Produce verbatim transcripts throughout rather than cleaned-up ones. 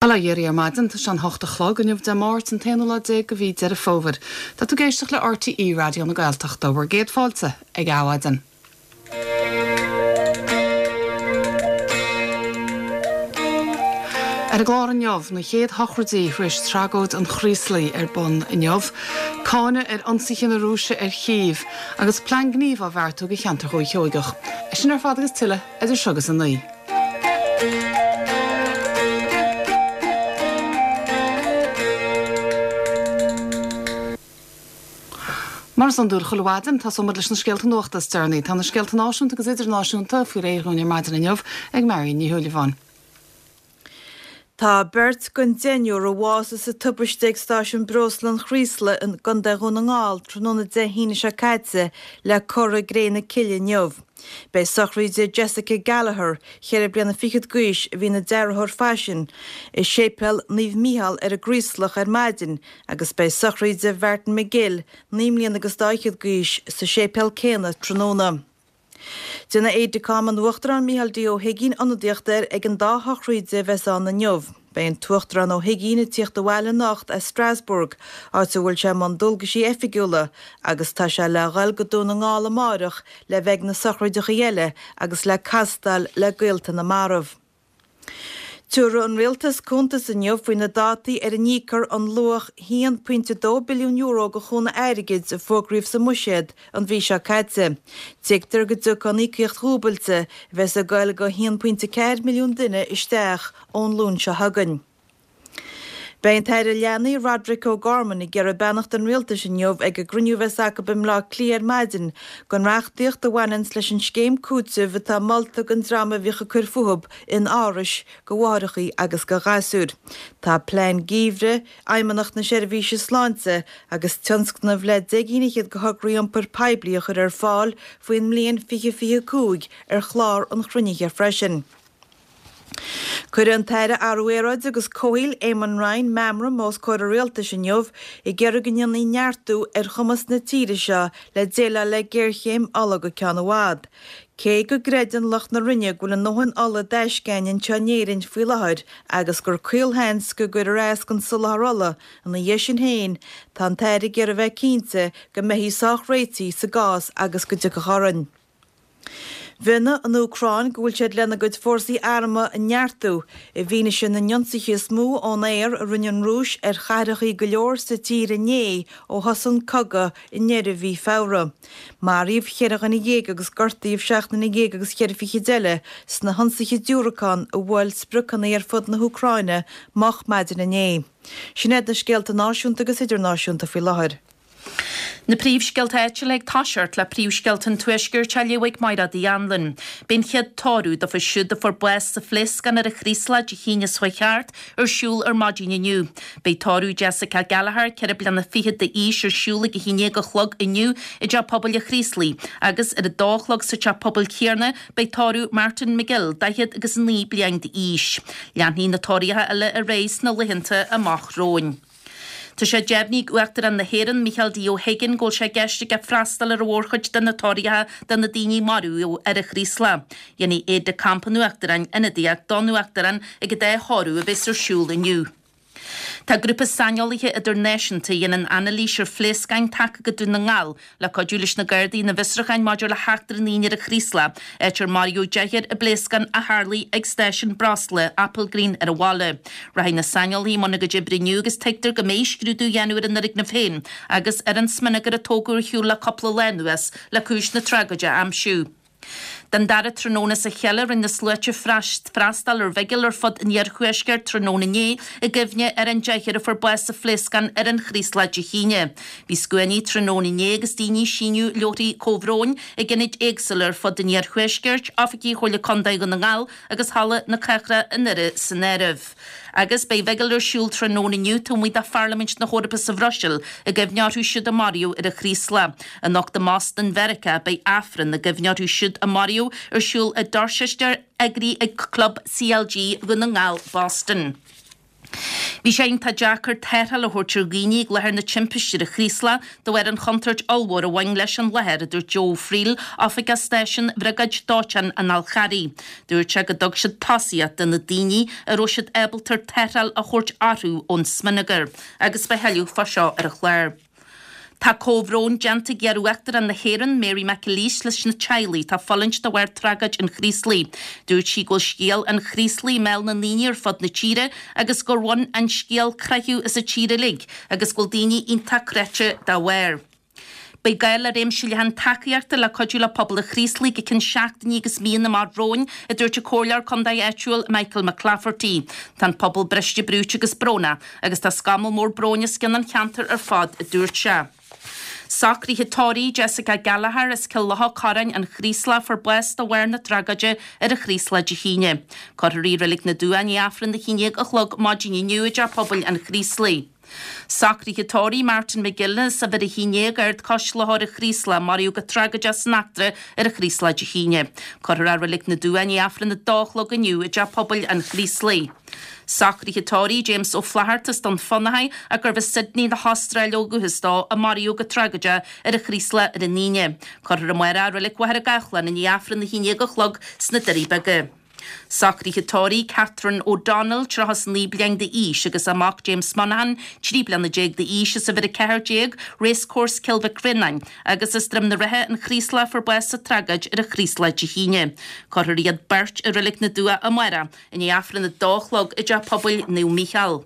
Bail ó Dhia oraibh ar maidin, tá sé an hocht a chlog inniu Dé Máirt an t-aonú lá déag de mhí Deireadh Fómhair. Tá tú ag éisteacht le RTÉ Raidió na Gaeltachta, bhur gcéad fáilte ag Adhmhaidin. Ar an gclár inniu, na chéad shochraidí tar éis tragóid an Chraoslaigh ar bun inniu, cáineadh ar ionsaithe na Rúise ar Chív agus plean gnímh á bheartú do cheantar Dhúiche Sheoigeach. É sin ar fad agus tuilleadh idir seo agus a naoi. Mar is iondúil chuile mhaidin, tosóimid leis na scéalta nuachta is deireanaí. Tá na scéalta náisiúnta agus idirnáisiúnta faoi réir dhúinn ar maidin inniu ag Marion Ní Shúilleabháin. Tá beirt den deichniúr a bhásaigh sa tubaiste ag stáisiún breosla an Chraoslaigh i gContae Dhún na nGall tráthnóna Dé hAoine seo caite le cur i gcré na cille inniu. Beidh sochraid Jessica Gallagher, cheithre bliana fichead d'aois, a bhí ina dearthóir faisin, i Séipéal Naomh Mícheál ar an gCraoslach ar maidin agus beidh sochraid Mhartin McGill, naoi mbliana agus dá fhichead d'aois, sa séipéal céanna tráthnóna. Déanfaidh Aide-de-Camp an Uachtaráin Micheál D. Ó hUigínn ionadaíocht air ag an dá shochraid a bheas ann inniu. Beidh an tUachtarán Ó hUigínn ag tíocht abhaile anocht as Strasbourg, áit a bhfuil sé i mbun dualgaisí oifigiúla, agus tá sé le dhul go Dún na nGall amáireach le bheith ag na sochraideacha eile agus le castáil le gaolta na marbh. Tabharfaidh an Rialtas cuntas inniu faoi na dátaí ar a n-íocfar an luach a haon pointe dó billiún euro de chúnamh airgid a fógraíodh sa mBuiséad an mhí seo caite. Tuigtear go dtiocfaidh an íocaíocht dhúbailte, a bheas ag goil go a haon pointe ceathair milliún duine, isteach ón Luan seo chugainn. Beidh an tAire Leanaí Roderic O'Gorman ag iarraidh beannacht an Rialtais inniu ag an gcruinniú a bheas acu i mBleá Cliath ar maidin don reachtaíocht a bhaineanns leis an scéim cúitimh atá molta don dream a bhíodh ag cur fúthu in árais do mháithreachaí agus do ghasúir. Tá plean geimhridh Fheidhmeannacht na Seirbhíse Sláinte agus tionscnamh le deich gcinn fhichead de thograí iompair poiblí a chur ar fáil faoin mbliain fiche fiche cúig ar chlár an chruinnithe freisin. Cuirfidh an tAire Athrú Aeráide agus Comhshaoil Eamon Ryan meamram os comhair an Rialtais inniu ag iarraidh go ndéanfaí neartú ar chumas na tíre seo le déileáil le géarchéim ola go ceann i bhfad. Cé go gcreideann lucht na Roinne go bhfuil a ndóthain ola i dtaisce againn anseo in Éirinn faoi láthair agus gur caolsheans go gcuirfear as don soláthar ola ina dhiaidh sin féin, tá an tAire ag iarraidh a bheith cinnte go mbeifí sách réitithe sa gcás agus go dtiocfadh orainn. Mhionnaigh an Úcráin go bhfuil siad lena gcuid fórsaí armtha a neartú i bhfianaise na n-ionsaithe is mó ón aer a rinne an Rúis ar chathracha go leor sa tír inné ó thosaigh an cogadh i ndeireadh mhí Feabhra. Maraíodh cheithre dhuine dhéag agus gortaíodh seacht nduine dhéag agus cheithre fichid eile sna hionsaithe diúracán a bhuail spriocanna ar fud na hÚcráine moch maidin inné. Sin iad na scéalta náisiúnta agus idirnáisiúnta faoi láthair. Na príomhscéalta áitiúla ag toiseacht le príomhscéalta an Tuaiscirt á léamh ag Mairéad Uí Anluain. Beidh an chéad tórramh dóibh siúd a fuair bás sa phléascán ar an Chraoslach Dé hAoine seo chuaigh thart ar siúl ar maidin inniu. Beidh tórramh Jessica Gallagher, ceithre bliana fichead d'aois, ar siúl ag a haon déag a chlog inniu i dTeach Pobail an Chraoslaigh agus ar a dó a chlog sa teach pobail céanna beidh tórramh Martin McGill, daichead agus naoi bliain d'aois. Leanfaidh na tórraíocha eile ar aghaidh sna laethanta amach romhainn. Tá sé deimhnithe ag Uachtarán na hÉireann, Micheál D. Ó hUiginn, go bhfuil sé i gceist aige freastal ar an mhórchuid de na tórraíocha do na daoine a maraíodh ar an Chraoslach. Dhéanfaidh Aide-de-Camp an Uachtaráin ionadaíocht don Uachtarán ag an dá thórramh a bheas ar siúl inniu. Tá grúpa saineolaithe idirnáisiúnta a dhéanann anailís ar phléascáin tagtha go Dún na nGall le cuidiú leis na Gardaí ina bhfiosrúcháin maidir le heachtra an Aoine ar an Chraoslach, áit ar maraíodh deichniúr i bpléascán a tharlaigh ag stáisiún breosla Applegreen ar an bhaile. Rachaidh na saineolaithe i mbun a gcuid oibre inniu agus tuigtear go mbeidh scrúdú á dhéanamh ar an fhoirgneamh féin agus ar an smionagar a tógadh ar shiúl le cúpla lá anuas le cúis na tragóide a aimsiú. Den dara tráthnóna as a chéile rinne na sluaite freastal ar bhigil ar fud an iarthuaiscirt tráthnóna inné i gcuimhne ar an deichniúr a fuair bás sa phléascán ar an Chraoslach Dé hAoine. Bhí scuainí tráthnóna inné agus daoine ag síniú leabharthaí comhbhróin ag ionaid éagsúla ar fud an iarthuaiscirt, oifigí Chomhairle Contae Dhún na nGall agus Halla na Cathrach i nDoire san áireamh. Agus beidh bigil ar siúl tráthnóna inniu taobh amuigh de Pharlaimint na hEorpa sa Bhruiséil i gcuimhne orthu siúd a maraíodh ar an Chraoslach. Anocht i mBoston Mheiriceá beidh Aifreann i gcuimhne orthu siúd a maraíodh ar siúl i Dorchester eagraithe ag Club CLG Dhún na nGall Boston. Bhí sé iontach deacair tarrtháil a thabhairt ar dhaoine ag láthair na timpiste ar an Chraoslach de bharr an chontúirt ollmhór a bhain leis an láthair, a dúirt Joe Friel, oifigeach stáisiúin Bhriogáid Dóiteáin an Fhál Charraigh. Dúirt sé go dtug siad tosaíocht do na daoine a raibh siad ábalta tarrtháil a thabhairt orthu ón smionagar agus beidh tuilleadh fá seo ar an chlár. Tá comhbhrón déanta ag iar-Uachtarán na hÉireann, Mary McAleese, leis na teaghlaigh atá ag fulaingt de bharr tragóid an Chraoslaigh. Dúirt sí go bhfuil scéal an Chraoslaigh i mbéal na ndaoine ar fud na tíre agus gur bhain an scéal croitheadh as an tír uilig agus go bhfuil daoine iontach cráite dá bharr. Beidh gá le réimse leathan tacaíochta le cuidiú le pobal an Chraoslaigh go ceann seachtainí agus míonna amach romhainn, a dúirt an Comhairleoir Contae áitiúil Michael McClafferty. Tá an pobal briste brúite agus brónach agus tá scamall mór bróin os cionn an cheantair ar fad, a dúirt sé. Socruithe tórraimh Jessica Gallagher as Cill Locha Corráin an Chraoslaigh a fuair bás de bharr na tragóide ar an Chraoslach Dé hAoine. Cuirfear í i Reilig na Dumhcha i ndiaidh Aifreann a haon déag a chlog maidin inniu i dTeach Pobail an Chraoslaigh. Socruithe tórraimh Martin McGill as Uimhir a haon déag Ard Coisleoir an Chraoslaigh a maraíodh go tragóideach san eachtra ar an Chraoslach Dé hAoine. Cuirfear é i Reilig na Dumhcha i ndiaidh Aifreann a dó a chlog inniu i dTeach Pobail an Chraoslaigh. Socruithe tórraimh James Ó Flatharta as Dún Fionnachaidh ach gurbh as Sydney na hAstráile ó dhúchas dó a maraíodh go tragóideach ar an Chraoslach ar an Aoine. Cuirfear amárach é i Reilig Mhachaire Gathlán i ndiaidh Aifreann a haon déag a chlog sna Doirí Beaga. Socruithe tórraimh Catherine O'Donnell, tríocha is naoi bliain d'aois, agus a mac James Monaghan, trí bliana déag d'aois, as uimhir a ceathair déag, Racecourse Cill Mhic Réanáin, agus as Droim na Ríthe, an Chraoslach, a fuair bás sa tragóid ar an Chraoslach Dé hAoine. Cuirfear iad beirt i Reilig na Dumhcha amárach, i ndiaidh Aifreann a dó a chlog i dTeach Pobail Naomh Mícheál.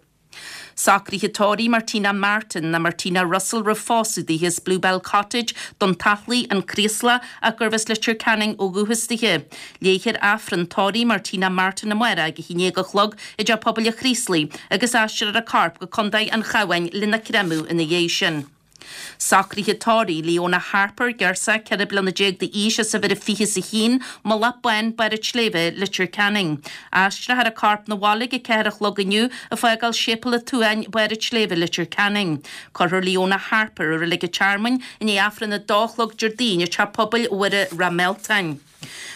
Socruithe tórraimh Martina Martin ná Martina Russell roimh phósadh dithe as Bluebell Cottage, Dún Tathlaigh, An Craoslach, ach gurbh as Leitir Ceanainn ó dhúchas dithe. Léifear Aifreann tórraimh Martina Martin amárach ag a haon déag a chlog i dTeach Pobail an Chraoslaigh agus aistreofar a corp go Contae an Chabháin lena créamadh ina dhiaidh sin. Socruithe tórraimh Leona Harper, girseach ceithre bliana déag d'aois as uimhir a fiche is a haon, Mullach Bán, Barr an tSléibhe, Leitir Ceanainn. Aistreofar a corp 'na bhaile ag a ceathair a chlog inniu ag fágáil Séipéal an tSuain, Barr an tSléibhe, Leitir Ceanainn. Cuirfear Leona Harper i Reilig an Tearmainn i ndiaidh Aifreann a dó a chlog Déardaoin i Teach Pobail Mhuire Ráth Mealtain.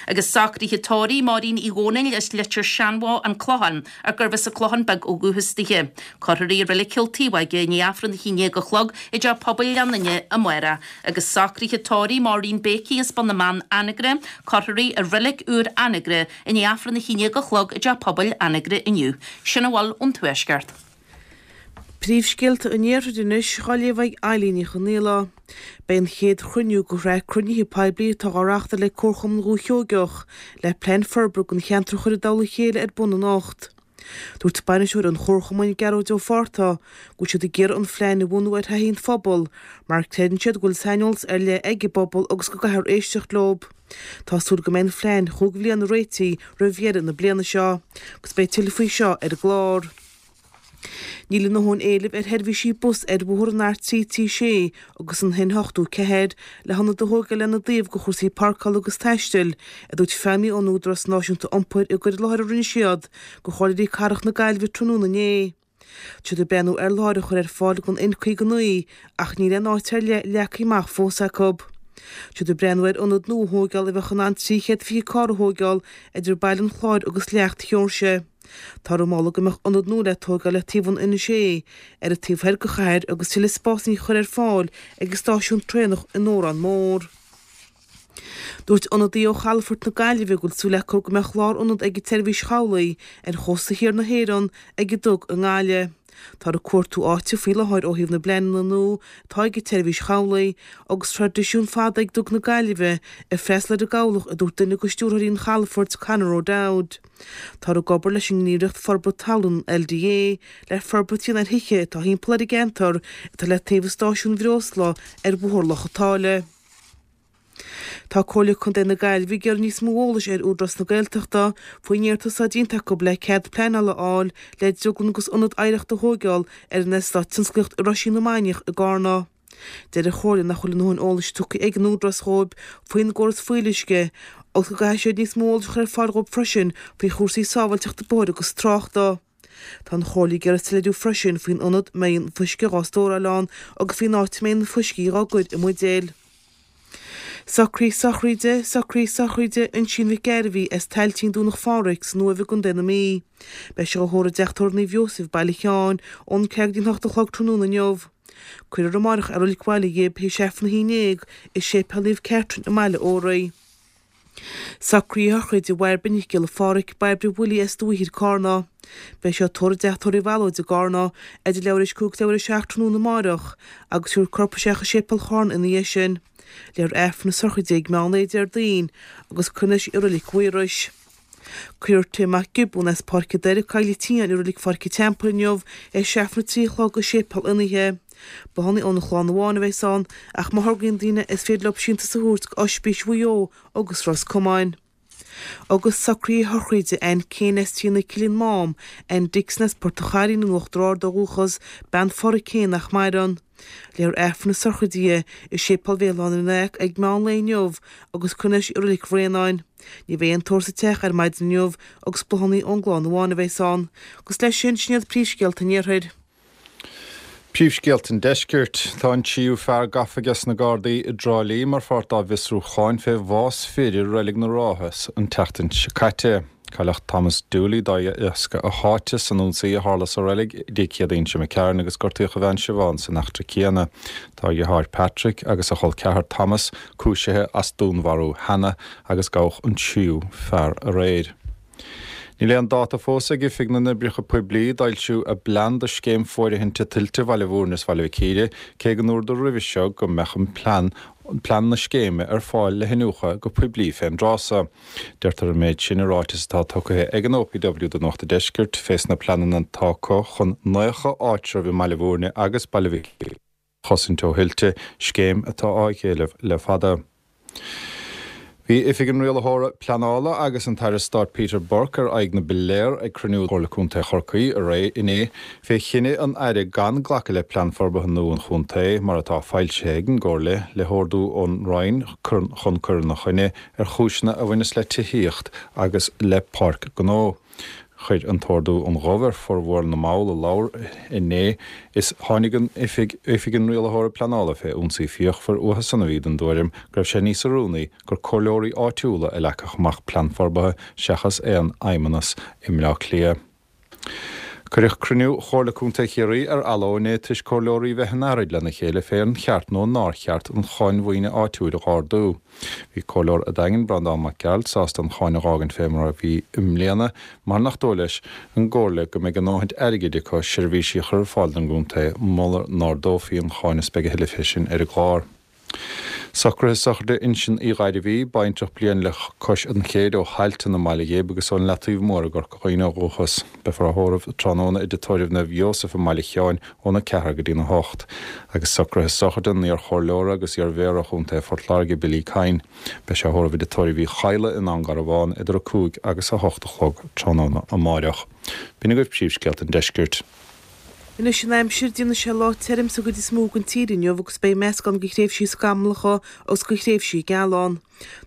Agus socruithe tórraimh Máirín Uí Dhónaill as Leitir Seanbhó, An Clochán, ach gurbh as an Clochán Beag ó dhúchas dithe. Cuirfear í i Reilig Chill Taobhóige i ndiaidh Aifreann a haon déag a chlog i dTeach Pobail Ghleann Fhinne amárach. Agus socruithe tórraimh Maureen Bakey as Bun na mBan, Anagaire, cuirfear í i Reilig Úr Anagaire i ndiaidh Aifreann a haon déag a chlog i dTeach Pobail Anagaire inniu. Sin a bhfuil ón Tuaisceart. Príomhscéalta an Iarthair anois, á léamh ag Eilín Ní Chonaola. Beidh an chéad chruinniú de shraith cruinnithe poiblí atá á reáchtáil ag Comharchumann Dhúiche Sheoigeach le plean forbartha don cheantar a chur i dtoll a chéile ar bun anocht. Dúirt bainisteoir an Chomharchumainn, Gearóid Ó Fátharta, go bhfuil siad ag iarraidh an phlean a bhunú ar thaithí an phobail mar creideann siad go bhfuil saineolas ar leith ag an bpobal agus go gcaithfear éisteacht leo. Tá súil go mbeidh an phlean chúig bhliana réitithe roimh dheireadh na bliana seo agus beidh tuilleadh faoi seo ar an gclár. Níl a ndóthain éilimh ar sheirbhísí bus ar bhóthar an R trí trí sé agus an N ochtó ceathair le hionad a thógáil lena dtaobh do chúrsaí páirceála agus taistil, a dúirt feidhmí ón Údarás Náisiúnta Iompair i gcur i láthair a rinne siad do chomhairleoirí cathrach na Gaillimhe tráthnóna inné. Tá siad ag breathnú ar láthair a chur ar fáil don N caoga naoi ach níl aon áit ar leith leagtha amach fós acu. Tá siad ag breathnú ar ionad nua a thógáil a bheadh in ann trí chéad fiche carr a thógáil idir Baile an Chláir agus Leacht Sheoirse. Táthar ag moladh go mbeadh ionad nua le tógáil le taobh an N sé ar an taobh thoir de chathair agus tuilleadh spásanna a chur ar fáil ag an stáisiún traenach in Órán Mór. Dúirt ionadaí ó Chalafort na Gaillimhe go bhfuil súil acu go mbeadh lárionad ag an tseirbhís chabhlaigh ar chósta thiar na hÉireann ag an dug i nGaillimh. Táthar ag cuartú áite faoi láthair ó thaobh na bpleananna nua atá ag an tseirbhís chabhlaigh agus traidisiún fada ag Duga na Gaillimhe ag freastal ar an gcabhlach a dúirt duine de stiúrthóirí an chalafoirt, Conor O'Dowd. Táthar ag obair leis an nGníomhaireacht Forbartha Talún, LDA, le forbairt a dhéanamh ar thithe atá thimpeall ar an gceantar atá le taobh an stáisiúin bhreosla ar Bhóthar Loch an tSáile. Tá Comhairle Contae na Gaillimhe ag iarraidh níos mó eolais ar Údarás na Gaeltachta faoin iarratas atá déanta acu le cead pleanála a fháil le drioglann agus ionad oidhreachta a thóigeáil ar an eastát tionsclaíochta i Roisín na Mainiach i gCarna. Deir an Chomhairle nach bhfuil a ndóthain eolais tugtha ag an Údarás dhóibh faoin gcóras fuíolluisce agus go gcaithfidh siad níos mó eolais a chur ar fáil dhóibh freisin faoi chúrsaí sábháilteachta bóthair agus tráchta. Tá an Chomhairle ag iarraidh soiléiriú freisin faoin ionad a mbeidh an fuisce dhá stóráil ann agus faoin áit a mbeidh na fuiscí dhá gcur i mbuidéil. Socruithe sochraide, Socruithe sochraide Uinsíonn Mhic Gairbhí as Tailteann Domhnach Phádraig san Uaimh i gContae na Mí. Beidh sé á thórramh i dTeach Tórraimh Naomh Iósaef, Baile Sheáin, ón ceathair go dtí an hocht a chlog tráthnóna inniu. Cuirfear amárach i Reilig Bhaile Ghib théis Aifreann a haon déag i Séipéal Naomh Catherine i mBaile Óraí. Socruithe sochraide Bhairbre Nic Giolla Phádraig, Bairbre Willie as Dumhaigh Thoir, Carna. Beidh sí á tórramh i dTeach Tórraimh Mhealóid i gCarna idir leathuair théis cúig is leathuair théis a seacht tráthnóna amáireach agus tabharfar a corp isteach i Séipéal Charna ina dhiaidh sin. Léifear Aifreann na sochraide ag meán lae Déardaoin agus cuirfear anois i Reilig Mhaorais. Cuirfear Tim Mac Giobúin as Páirc an Doire, Coill an tSiáin i Reilig Pháirc an Teampaill inniu théis Aifreann a trí a chlog i Séipéal Fhionnaithe. Bláthanna óna chlann amháin a bheas ann ach má thograíonn daoine is féidir leo síntiús a thabhairt go Ospís Mhaigh Eo agus Ros Comáin. Agus socruithe sochraide Ann Kane as Tí na Cille an Mám, Ann Dixon as Port an Chairín in Uachtar Ard ó dhúchas, bean Pháraic Kane nach maireann. Léifear Aifreann na sochraide di i Séipéal Bhéal Átha na nEach ag meán lae inniu agus cuirfear anois i Reilig Bhraonáin. Ní bheidh aon tórramh sa teach ar maidin inniu agus bláthanna ón gclann amháin a bheas ann. Agus leis sin, sin iad príomhscéalta an Iarthair. Príomhscéalta an Deiscirt Tá an tríú fear gafa ag na Gardaí i dTrá Lí mar pháirt dá bhfiosrúcháin fé bhás fir i Reilig na Rátha an tseachtain seo caite. Cailleadh Thomas Dooley de dheasca a sháite san ionsaí a tharla sa reilig Dé Céadaoin seo imigh tharainn agus gortaíodh a bhean Siobhán san eachtra céanna. Tá a dheartháir Patrick agus a chol ceathar Thomas cúisithe as dúnmharú cheana agus gabhadh an tríú fear aréir. Níl aon dáta fós ag Oifig na nOibreacha Poiblí d'fhoilsiú a bplean do scéim fóirithinte tuilte Bhaile Bhúirne is Bhaile Mhic Íre cé go ndúradh roimhe seo go mbeadh an plean plean na scéime ar fáil le hiniúchadh go poiblí fén dtráth so. Deirtear an méid sin i ráiteas atá tugtha ag an OPW do Nuacht an Deiscirt fés na pleananna atá acu chun naocha áitreabh i mBaile Bhúirne agus Baile Mhic chosaint ó thuilte, scéim atá á héileamh le fada. Bhí Oifig an Rialaitheora Pleanála agus an tAire Stáit Peter Burke ar aghaidh na bpiléar ag cruinniú Chomhairle Contae Chorcaí aréir inné fé chinneadh an Aire gan glacadh le plean forbartha nua an chontae mar atá foilsithe ag an gComhairle le hordú ón Roinn chun cur ina choinne ar chúiseanna a bhaineas le tithíocht agus le páirc gnó. Chuir an t-ordú an gomh ar formhór na mball a labhair inné is tháinig an oifig oifig an rialaitheora pleanála fé ionsaí fíochmhar uathu san a bhí den tuairim go raibh sé níos oiriúnaí gur comhairleoirí áitiúla a leagfadh amach plean forbartha seachas aon fheidhmeannas i mBleá Cliath. Cuireadh cruinniú Chomhairle Contae Chiarraí ar athló inné toisc comhairleoirí bheith in earraid lena chéile fé an cheart nó nár cheart an cháin mhaoine áitiúil a dh'ardú. Bhí comhairleoir an Daingin Breandán Mac Gearailt sásta an cháin a dh'fhágaint fé mar a bhí i mbliana mar nach dóigh leis an gcomhairle go mbeidh a ndóthain airgid acu seirbhísí a chur ar fáil don gcontae mura n-ardófaí an cháin is beidh a thuilleadh fé sin ar an gclár. Socruithe sochraide Uinseann Uí Ghairbhí, baintreach bliain le cois an chéid ó Thailtean i mBaile Ghib agus ón Leataobh Mór i gCorca Dhuibhne ó dhúchas. Beifear á thórramh tráthnóna i dTeach Tórraimh Naomh Iósaf i mBaile Sheáin óna ceathair go dtí na hocht. Agus socruithe sochraide an iar-chomhairleora agus iar-mhéara Chontae Phort Láirge Billy Kyne. Beidh sé á thórramh i dTeach Tórraimh Uí Chadhla i nDún Garbhán idir a cúig agus a hocht a chlog tráthnóna amáireach. B'in agaibh príomhscéalta an deiscirt. Anois an aimsir déanfaidh sé lá tirim sa gcuid is mó den tír inniu agus beidh meascán de thréimhsí scamallacha agus de thréimhsí geala ann.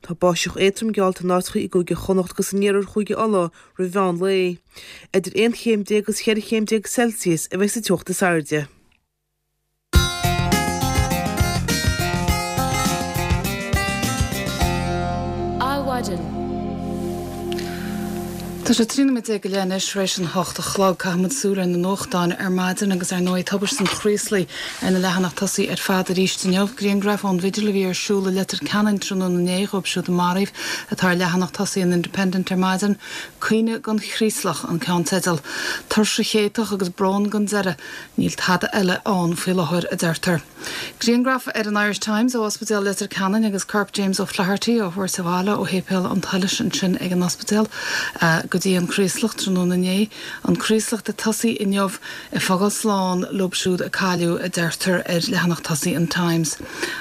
Tá báisteach éadrom geallta in áiteacha i gCúige Chonnacht agus in iarthar Chúige Uladh roimh mheán lae. Idir aon chéim déag agus cheithre chéim déag Celsius a bheidh sa teocht is airde. Adhmhaidin. Tá sé trí nóiméad déag go leith anois tar éis an hocht a chlog. Caithfimid súil ar na nuachtáin ar maidin agus ar ndóigh tubaiste an Chraoslaigh ar na leathanaigh tosaigh ar fad arís inniu. Grianghraf ón bhigil a bhí ar siúl i Leitir Ceanainn tráthnóna inné dhóibh siúd a maraíodh atá ar leathanach tosaigh an Independent ar maidin. Caoineadh don Chraoslach an ceannteideal. Tuirse chéatach agus brón gan deireadh. Níl tada eile ann faoi láthair a deirtear. Grianghraf ar an Irish Times ó Ospidéal Leitir Ceanainn agus corp James O'Flaherty á thabhairt abhaile ó shéipéal an tSolais ansin ag an ospidéal go dtí an Craoslach tráthnóna inné. An Craoslach ag tosaí inniu ag fágáil slán leo siúd a cailleadh a deirtear ar leathanach tosaigh an Times.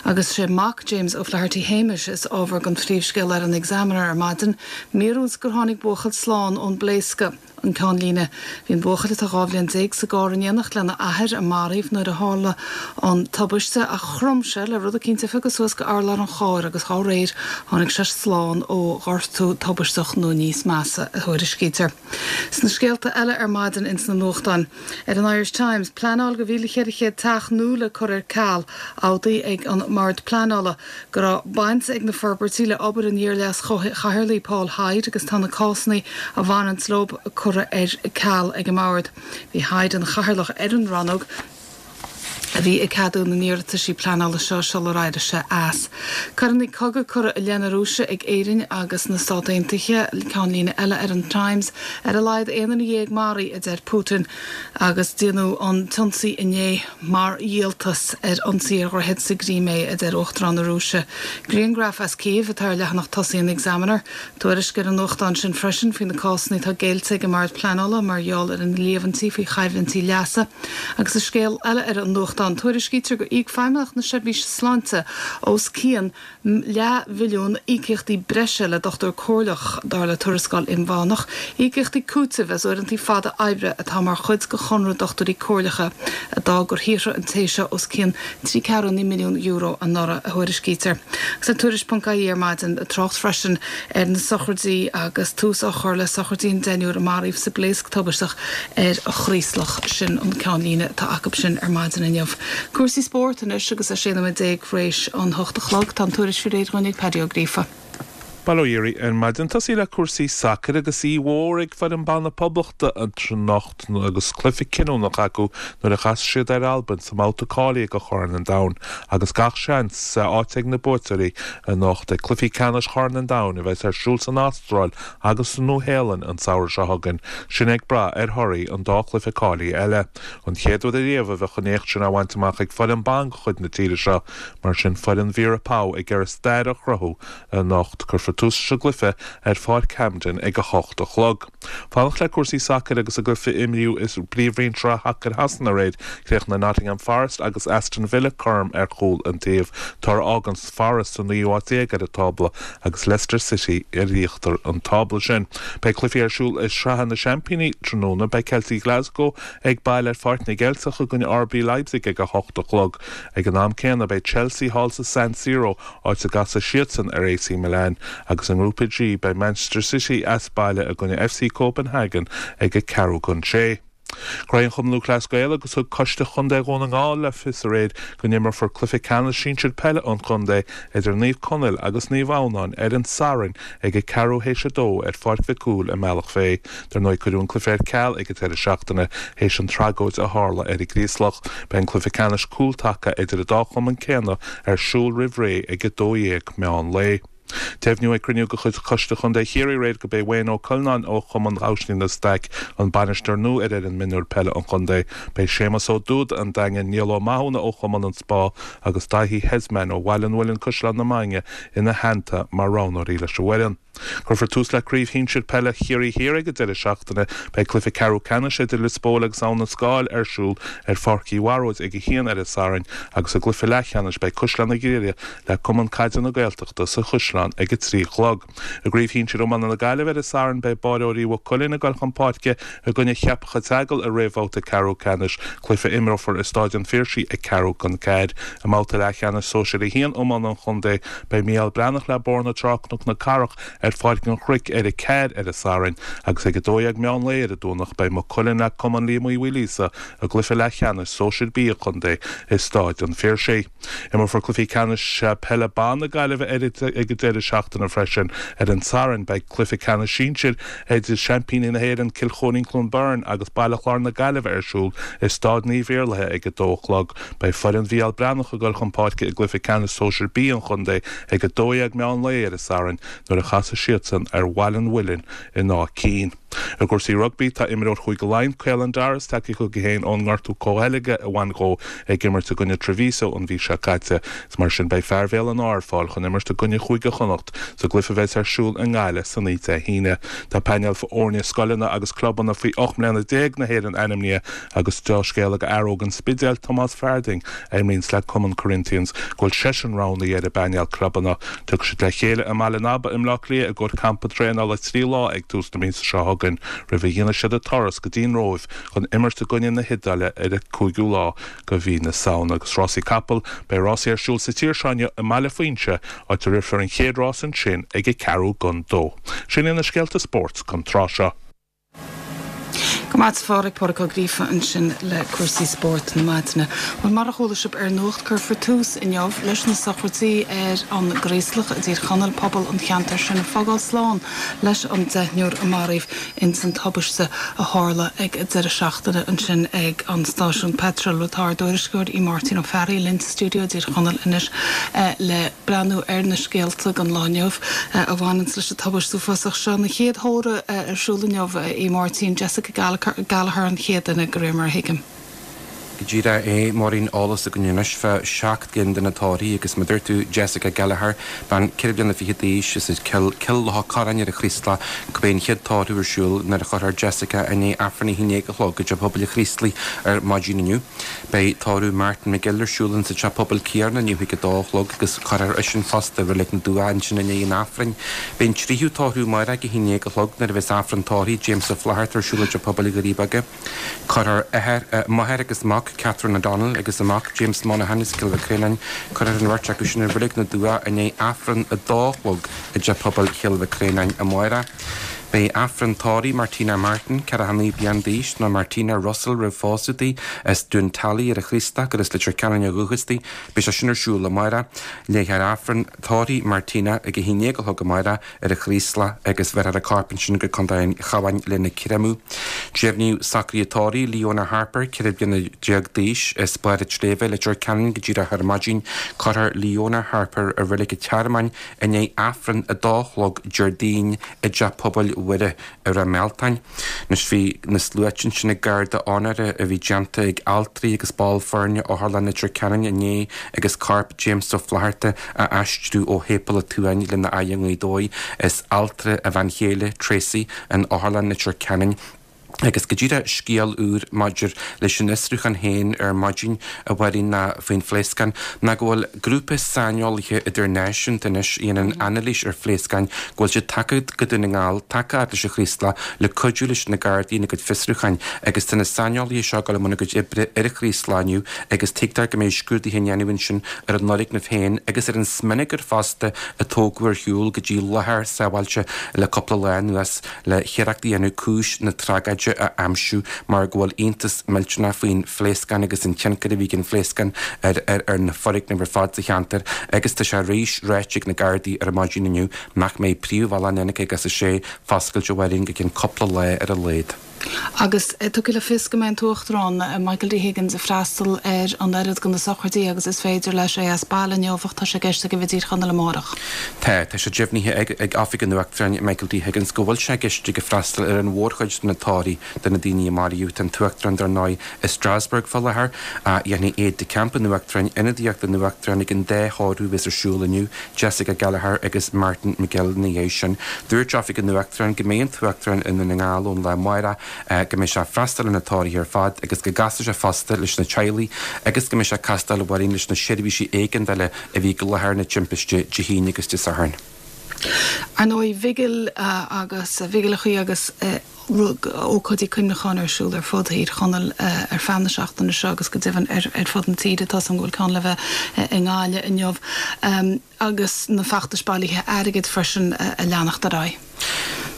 Agus sé mac James O'Flaherty Hamish is ábhar don phríomhscéal ar an Examiner ar maidin, míorúilt gur tháinig buachaill slán ón bpléascadh. an ceannlíne. Bhí an buachaill atá dhá bhliain déag sa gcarr in éineacht lena athair a maraíodh nuair a tharla an tubaiste ach chrom sé le rud eicínt a phiocadh suas go urlár an chairr agus dá réir tháinig sé slán ó ghortú tubaisteach nó níos measa a thuairiscítear. Sna scéalta eile ar maidin ins na nuachtáin. Ar an Irish Times, pleanáil do mhíle ceithre chéad teach nua le cur ar ceal, admhaithe ag an mBord Pleanála go raibh baint ag na forbairtí le obair an iar-leas-chathaoirligh Paul Hyde agus tá na cásanna a bhaineann leo curtha ar ceal ag an mbord. Bhí Hyde ina chathaoirleach ar an rannóg a bhí ag ceadú na n-iarrataisí pleanála seo sular éirigh sé as. Coireanna cogaidh curtha i leith na Rúise ag Éirinn agus na Stáit Aontaithe ceannlíne eile ar an Times ar a laghad aon duine dhéag maraithe a deir Putin agus déanadh an t-ionsaí inné mar dhíoltas ar ionsaí ar dhroichead sa gCrimé a deir Uachtarán na Rúise. Grianghraf as Kiev atá ar leathanach tosaigh an Examiner, tuairisc ar an nuachtán sin freisin faoi na cásanna atá géillte ag an mBord Pleanála mar gheall ar na líomhaintí faoi choimhlintí leasa agus i scéal eile ar an nuachtán tuairiscítear gur íoc Feidhmeannacht na Seirbhíse Sláinte os cionn leathmhilliún íocaíochtaí breise le dochtúir comhairleach dar le tuarascáil inmheánach, íocaíochtaí cúitimh as uaireanta fada oibre atá mar chuid de chonradh dochtúirí comhairleacha a d'fhág gur shaothraigh an té seo os cionn trí ceathrú milliún euro anuraidh a thuairiscítear. Agus ar tuairisc.ie ar maidin trácht freisin ar na sochraidí agus tús á chur le sochraidí an deichniúr a maraíodh sa bpléasc tubaisteach ar an Chraoslach sin an ceannlíne atá acu sin ar maidin inniu. Cúrsaí spóirt anois agus é sé nóiméad déag tar éis an hocht a chlog tá an tuairisc faoi réir ag Paddy Ó Gríofa. Bail ó Dhia oraibh ar maidin tosaí le cúrsaí sacair agus í mhór ag foireann ban na Poblachta anocht agus cluiche cinniúnach acu nuair a chas siad ar Albain sa mbabhta cáilithe do Chorn an Domhain agus gach seans áit ag na buaiteoirí anocht ag cluichí ceannais Chorn an Domhain a bheas ar siúl san Astráil agus sa Nua-Shéalainn an samhradh seo chugainn sin ag brath ar thorthaí an dá chluiche cáilithe eile. An chéad uair riamh a bheadh an éacht sin á bhaint amach ag foireann ban de chuid na tíre seo mar sin foireann Vera Pauw ag iarraidh stair a chruthú anocht cuirfear tús sa gcluiche ar Pháirc Hampden ag a hocht a chlog. Fanacht le cúrsaí sacair agus a gcluiche imríodh i bPríomhroinn Sacair Shasana aréir chríochnaigh Nottingham Forest agus Aston Villa cothrom ar chúl an taobh toradh a fhágann Forest sa naoú háit déag ar an tábla agus Leicester City ar íochtar an tábla sin. Beidh cluichí ar siúl i Sraith na Seaimpíní tráthnóna beidh Celtic Glasgow ag baile ar Pháirc na gCeilteach i gcoinne RB Leipzig ag a hocht a chlog. Ag an am céanna beidh Chelsea thall sa San Siro áit a gcasfaidh siadsan ar AC Milan agus i ngrúpa G beidh Manchester City as baile i gcoinne FC Copenhagen ag a ceathrú chun sé. Ghnóthaigh an Cumann Lúthchleas Gael agus thug Coiste Chontae Dhún na nGall le fios aréir go n-imreofar cluiche ceannais sinsir peile an chontae idir Naomh Conaill agus Naomh Adhamhnáin ar an Satharn ag a ceathrú théis a dó ar Pháirc Mhic Cumhaill i mBealach Féich. Dar ndóigh cuireadh an cluiche ar ceal ag an deireadh seachtaine théis an tragóid a tharla ar an gCraoslach. Beidh an cluiche ceannais cúltaca idir an dá chumann céanna ar siúl roimh ré ag a dó dhéag meán lae. Deimhníodh ag cruinniú de chuid Choiste Chontae Chiarraí aréir gurb é Wayne Ó Coileáin ó Chumann Ghabhsní na Staic an bainisteoir nua ar fhoireann mionúir peile an chontae. Beidh Séamus Ó Dúda an Daingin Niall Ó Mathúna ó Chumann an Spá agus Daithí Hesman ó Bhaile an Mhuilinn Caisleán na Mainge ina theannta mar roghnóirí leis an bhfoireann. Cuirfear tús le craobh shinsir peile Chiarraí Thiar ag an deireadh seachtaine beidh cluiche ceathrú ceannais idir Lios Póil agus Abhainn an Scáil ar siúl ar Pháirc Uí Bharóid ag a haon ar an Satharn agus i gcluiche leathcheannais beidh Caisleán na Gréine le Cumann Caide na Gaeltachta sa Chaisleán ag a trí a chlog. I gcraobh shinsir iomána na Gaillimhe ar an Satharn beidh Báireoirí Mhaigh Cuilinn ag dul chun páirce i gcoinne Cheapach an tSeagail i réamhbhabhta ceathrú ceannais cluiche a imreofar i Staid an Phiarsaigh ag ceathrú chun ceathair. I mbabhta leathcheannais sóisir a haon iomána an chontae beidh Mícheál Breathnach le Bóthar na Trá Cnoc na Cathrach ar Pháirc an Chnoic ar a ceathair ar an Satharn agus ag a dó dhéag meán lae ar an Domhnach beidh Maigh Cuilinn le Cumann Liam Uí Mhaoilíosa i gcluiche leathcheannais sóisir B an chontae i Staid an Phiarsaigh. Imreofar cluichí ceannais peile ban na Gaillimhe ar ag an deireadh seachtaine freisin ar an Satharn beidh cluiche ceannais sinsir idir seaimpíní na hÉireann Cill Chóirín Cluain Bheirn agus Baile Chláir na Gaillimhe ar siúl i Staid Naomh Iarlaithe ag a dó a chlog. Beidh foireann Mhícheál Breathnach ag dul chun páirce i gcluiche ceannais sóisir B an chontae ag a dó dhéag meán lae ar an Satharn nuair a chasfaidh siadsan ar Bhaile an Mhuilinn in Áth Cinn. I gcúrsaí rugbaí tá imreoir Chúige Laighean Caelan Doris tagtha chuige féin ón ngortú comhcheilge a bhain dó ag imirt i gcoinne Treviso an mhí seo caite. Is mar sin beidh fear Bhéal an Átha ar fáil chun imirt i gcoinne Chúige Chonnacht sa gcluiche a bheas ar siúl i nGaillimh san oíche Dé hAoine. Tá painéal foirne scoileanna agus clubanna faoi ocht mbliana déag na hÉireann ainmnithe agus dea-scéala do fhear óg an Spidéil Tomás Farding a imríonns le Cumann Corinthians go bhfuil seisean roghnaithe ar an bpainéal clubanna. Tiocfaidh siad le chéile i mBaile an Aba i mBleá Cliath i gcomhair campa traenála trí lá ag tús na míosa seo chugainn roimh a dhéanfaidh siad an turas go dtí an Róimh chun imirt i gcoinne na hIodáile ar an cúigiú lá de mhí na Samhna. Agus rásaí capall, beidh rásaí ar siúl sa tír seo inniu i mBaile Fuinse, áit a rithfear an chéad rás ansin ag a ceathrú don dó. Sin iad na scéalta spóirt don tráth seo. Go maith Phádraig Pádraig Ó Gríofa ansin le cúrsaí spóirt na maidine. Well mar a chuala sibh ar nuacht cuirfear tús inniu leis na sochraidí ar an gCraoslach i dTír Chonaill pobal an cheantair sin ag fágáil slán leis an deichniúr a maraíodh ins an tubaiste a tharla ag deireadh seachtaine ansin ag an stáisiún peitril tá ár dtuairisceoir Máirtín Ó Fearraigh linn sa stiúideo i dTír Chonaill anois eh, le breathnú ar na scéalta don lá inniu eh, a bhaineann leis an tubaiste uafásach seo na chéad tórramh eh, ar siúl inniu í Máirtín Jessica Gallagher Gallagher an chéad duine de réir mar a thuigim. Go díreach é Máirín eolas againn anois fá seacht gcinn de na tórraimh agus mar a dúirt tú Jessica Gallagher bean ceithre bliana fiche d'aois is as Cill Locha Corráin ar an Chraoslach go mbeidh an chéad tórramh ar siúl nuair a chuirfear Jessica i ndiaidh Aifreann a haon déag a chlog i dteach pobail an Chraoslaigh ar maidin inniu. Beidh tórramh Martin McGill ar siúl in sa teach pobail céanna inniu ag a dó a chlog agus cuirfear eisean fosta i Reilig na Dumhcha ansin i ndiaidh an Aifrinn. Beidh an tríú tórramh amárach ag a haon déag a chlog nuair a bheas Aifreann tórraimh James Ó Flatharta ar siúl i dteach pobail Dhoirí Beaga. Cuirfear athair máthair agus mac Catherine O'Donnell agus a mac James Monaghan as Cill Mhic Réanáin cuirfear an bheirt acu sin i Reilig na Dumhcha i ndiaidh Aifreann a dó a chlog i dteach pobail Chill Mhic Réanáin amárach. Beidh Aifreann tórraimh Martina Martin ceathracha naoi bliain d'aois nó Martina Russell roimh phósadh di as Dún Tally ar an Chraoslach gur as Leitir Ceanainn ó dhúchas di, beidh sé sin ar siúl amárach. Léifear Aifreann tórraimh Martina ag a haon déag a chlog amárach ar an Chraoslach agus bheirfear a corp ansin go Contae an Chabháin lena chréamadh. Deimhníodh socruithe tórraimh Leona Harper ceithre bliana déag d'aois as Barr an tSléibhe Leitir Ceanainn go díreach ar maidin cuirfear Leona Harper i Reilig an Tearmainn i ndiaidh Aifreann a dó a chlog Déardaoin i dteach pobail Mhuire ar an Mealtáin. Anois bhí na sluaite ansin ag garda onóra a bhí déanta ag altraí agus baill foirne Otharlann Leitir Ceanainn inné agus corp James Ó Flatharta á aistriú ó Shéipéal an tSuain lena aghaidh i nGaoth Dobhair is altra a bhean chéile Tracy in Otharlann Leitir Ceanainn. Agus go díreach scéal úr maidir leis an fhiosrúchán féin ar maidin a Mháirín ná faoin phléascán ná go bhfuil grúpa saineolaithe idirnáisiúnta anois a dhéanann anailís ar phléascáin go bhfuil siad tagtha go Dún na nGall tagtha leis an Chraoslach le cuidiú leis na Gardaí ina gcuid fiosrúcháin agus tá na saineolaithe seo ag dul i mbun a gcuid oibre ar an Chraoslach inniu agus tuigtear go mbeidh scrúduithe á ndéanamh ansin ar an fhoirgneamh féin agus ar an smionagar fosta a tógadh ar shiúl go dtí láthair sábháilte le cúpla lá anuas le hiarracht a dhéanamh cúis na tragóide a aimsiú mar go bhfuil iontas millteanach faoin phléascán agus an tionchar a bhí ag an phléascán ar ar ar na foirgnimh ar fad sa cheantar agus tá sé arís ráite ag na Gardaí ar maidin inniu nach mbeidh príomhbhealach an N caoga is a sé foscailte a Mháirín go ceann cúpla lá ar a laghad. Agus tugtar le fios go mbeidh an tUachtarán Michael D. Higgins ag freastal ar an oiread de na sochraidí agus is féidir leis é as baile inniu ach tá sé i gceist aige a bheith i dTír Chonaill amárach. Tá tá sé deimhnithe ag ag Oifig an Uachtaráin Michael D. Higgins go bhfuil sé i gceist aige freastal ar an mhórchuid de na tórraimh de na daoine a maraíodh tá an tUachtarán dar ndóigh i Strasbourg fá láthair a dhéanfaidh aide de camp an Uachtaráin ionadaíocht don Uachtarán ag an dá thórramh a bheas ar siúl inniu Jessica Gallagher agus Martin McGill ina dhiaidh sin. Dúirt Oifig an Uachtaráin go mbeidh an tUachtarán i nDún na nGall ón lá amárach go mbeidh sé ag freastal ar na tórraimh ar fad agus go gcasfaidh sé fosta leis na teaghlaigh agus go mbeidh sé ag castáil a Mháirín leis na seirbhísí éigeandála a bhí i láthair na timpiste Dé hAoine agus Dé Sathairn. Ar ndóigh vigil agus vigileachaí agus ócáidí cuimhneacháin ar siúl ar fud Thír Chonaill ar feadh na seachtaine seo agus go deimhin ar ar fud na tíre tá an bhfuil ceann le bheith i nGaillimh inniu agus na feachtais bailithe airgid freisin a leanacht ar aghaidh.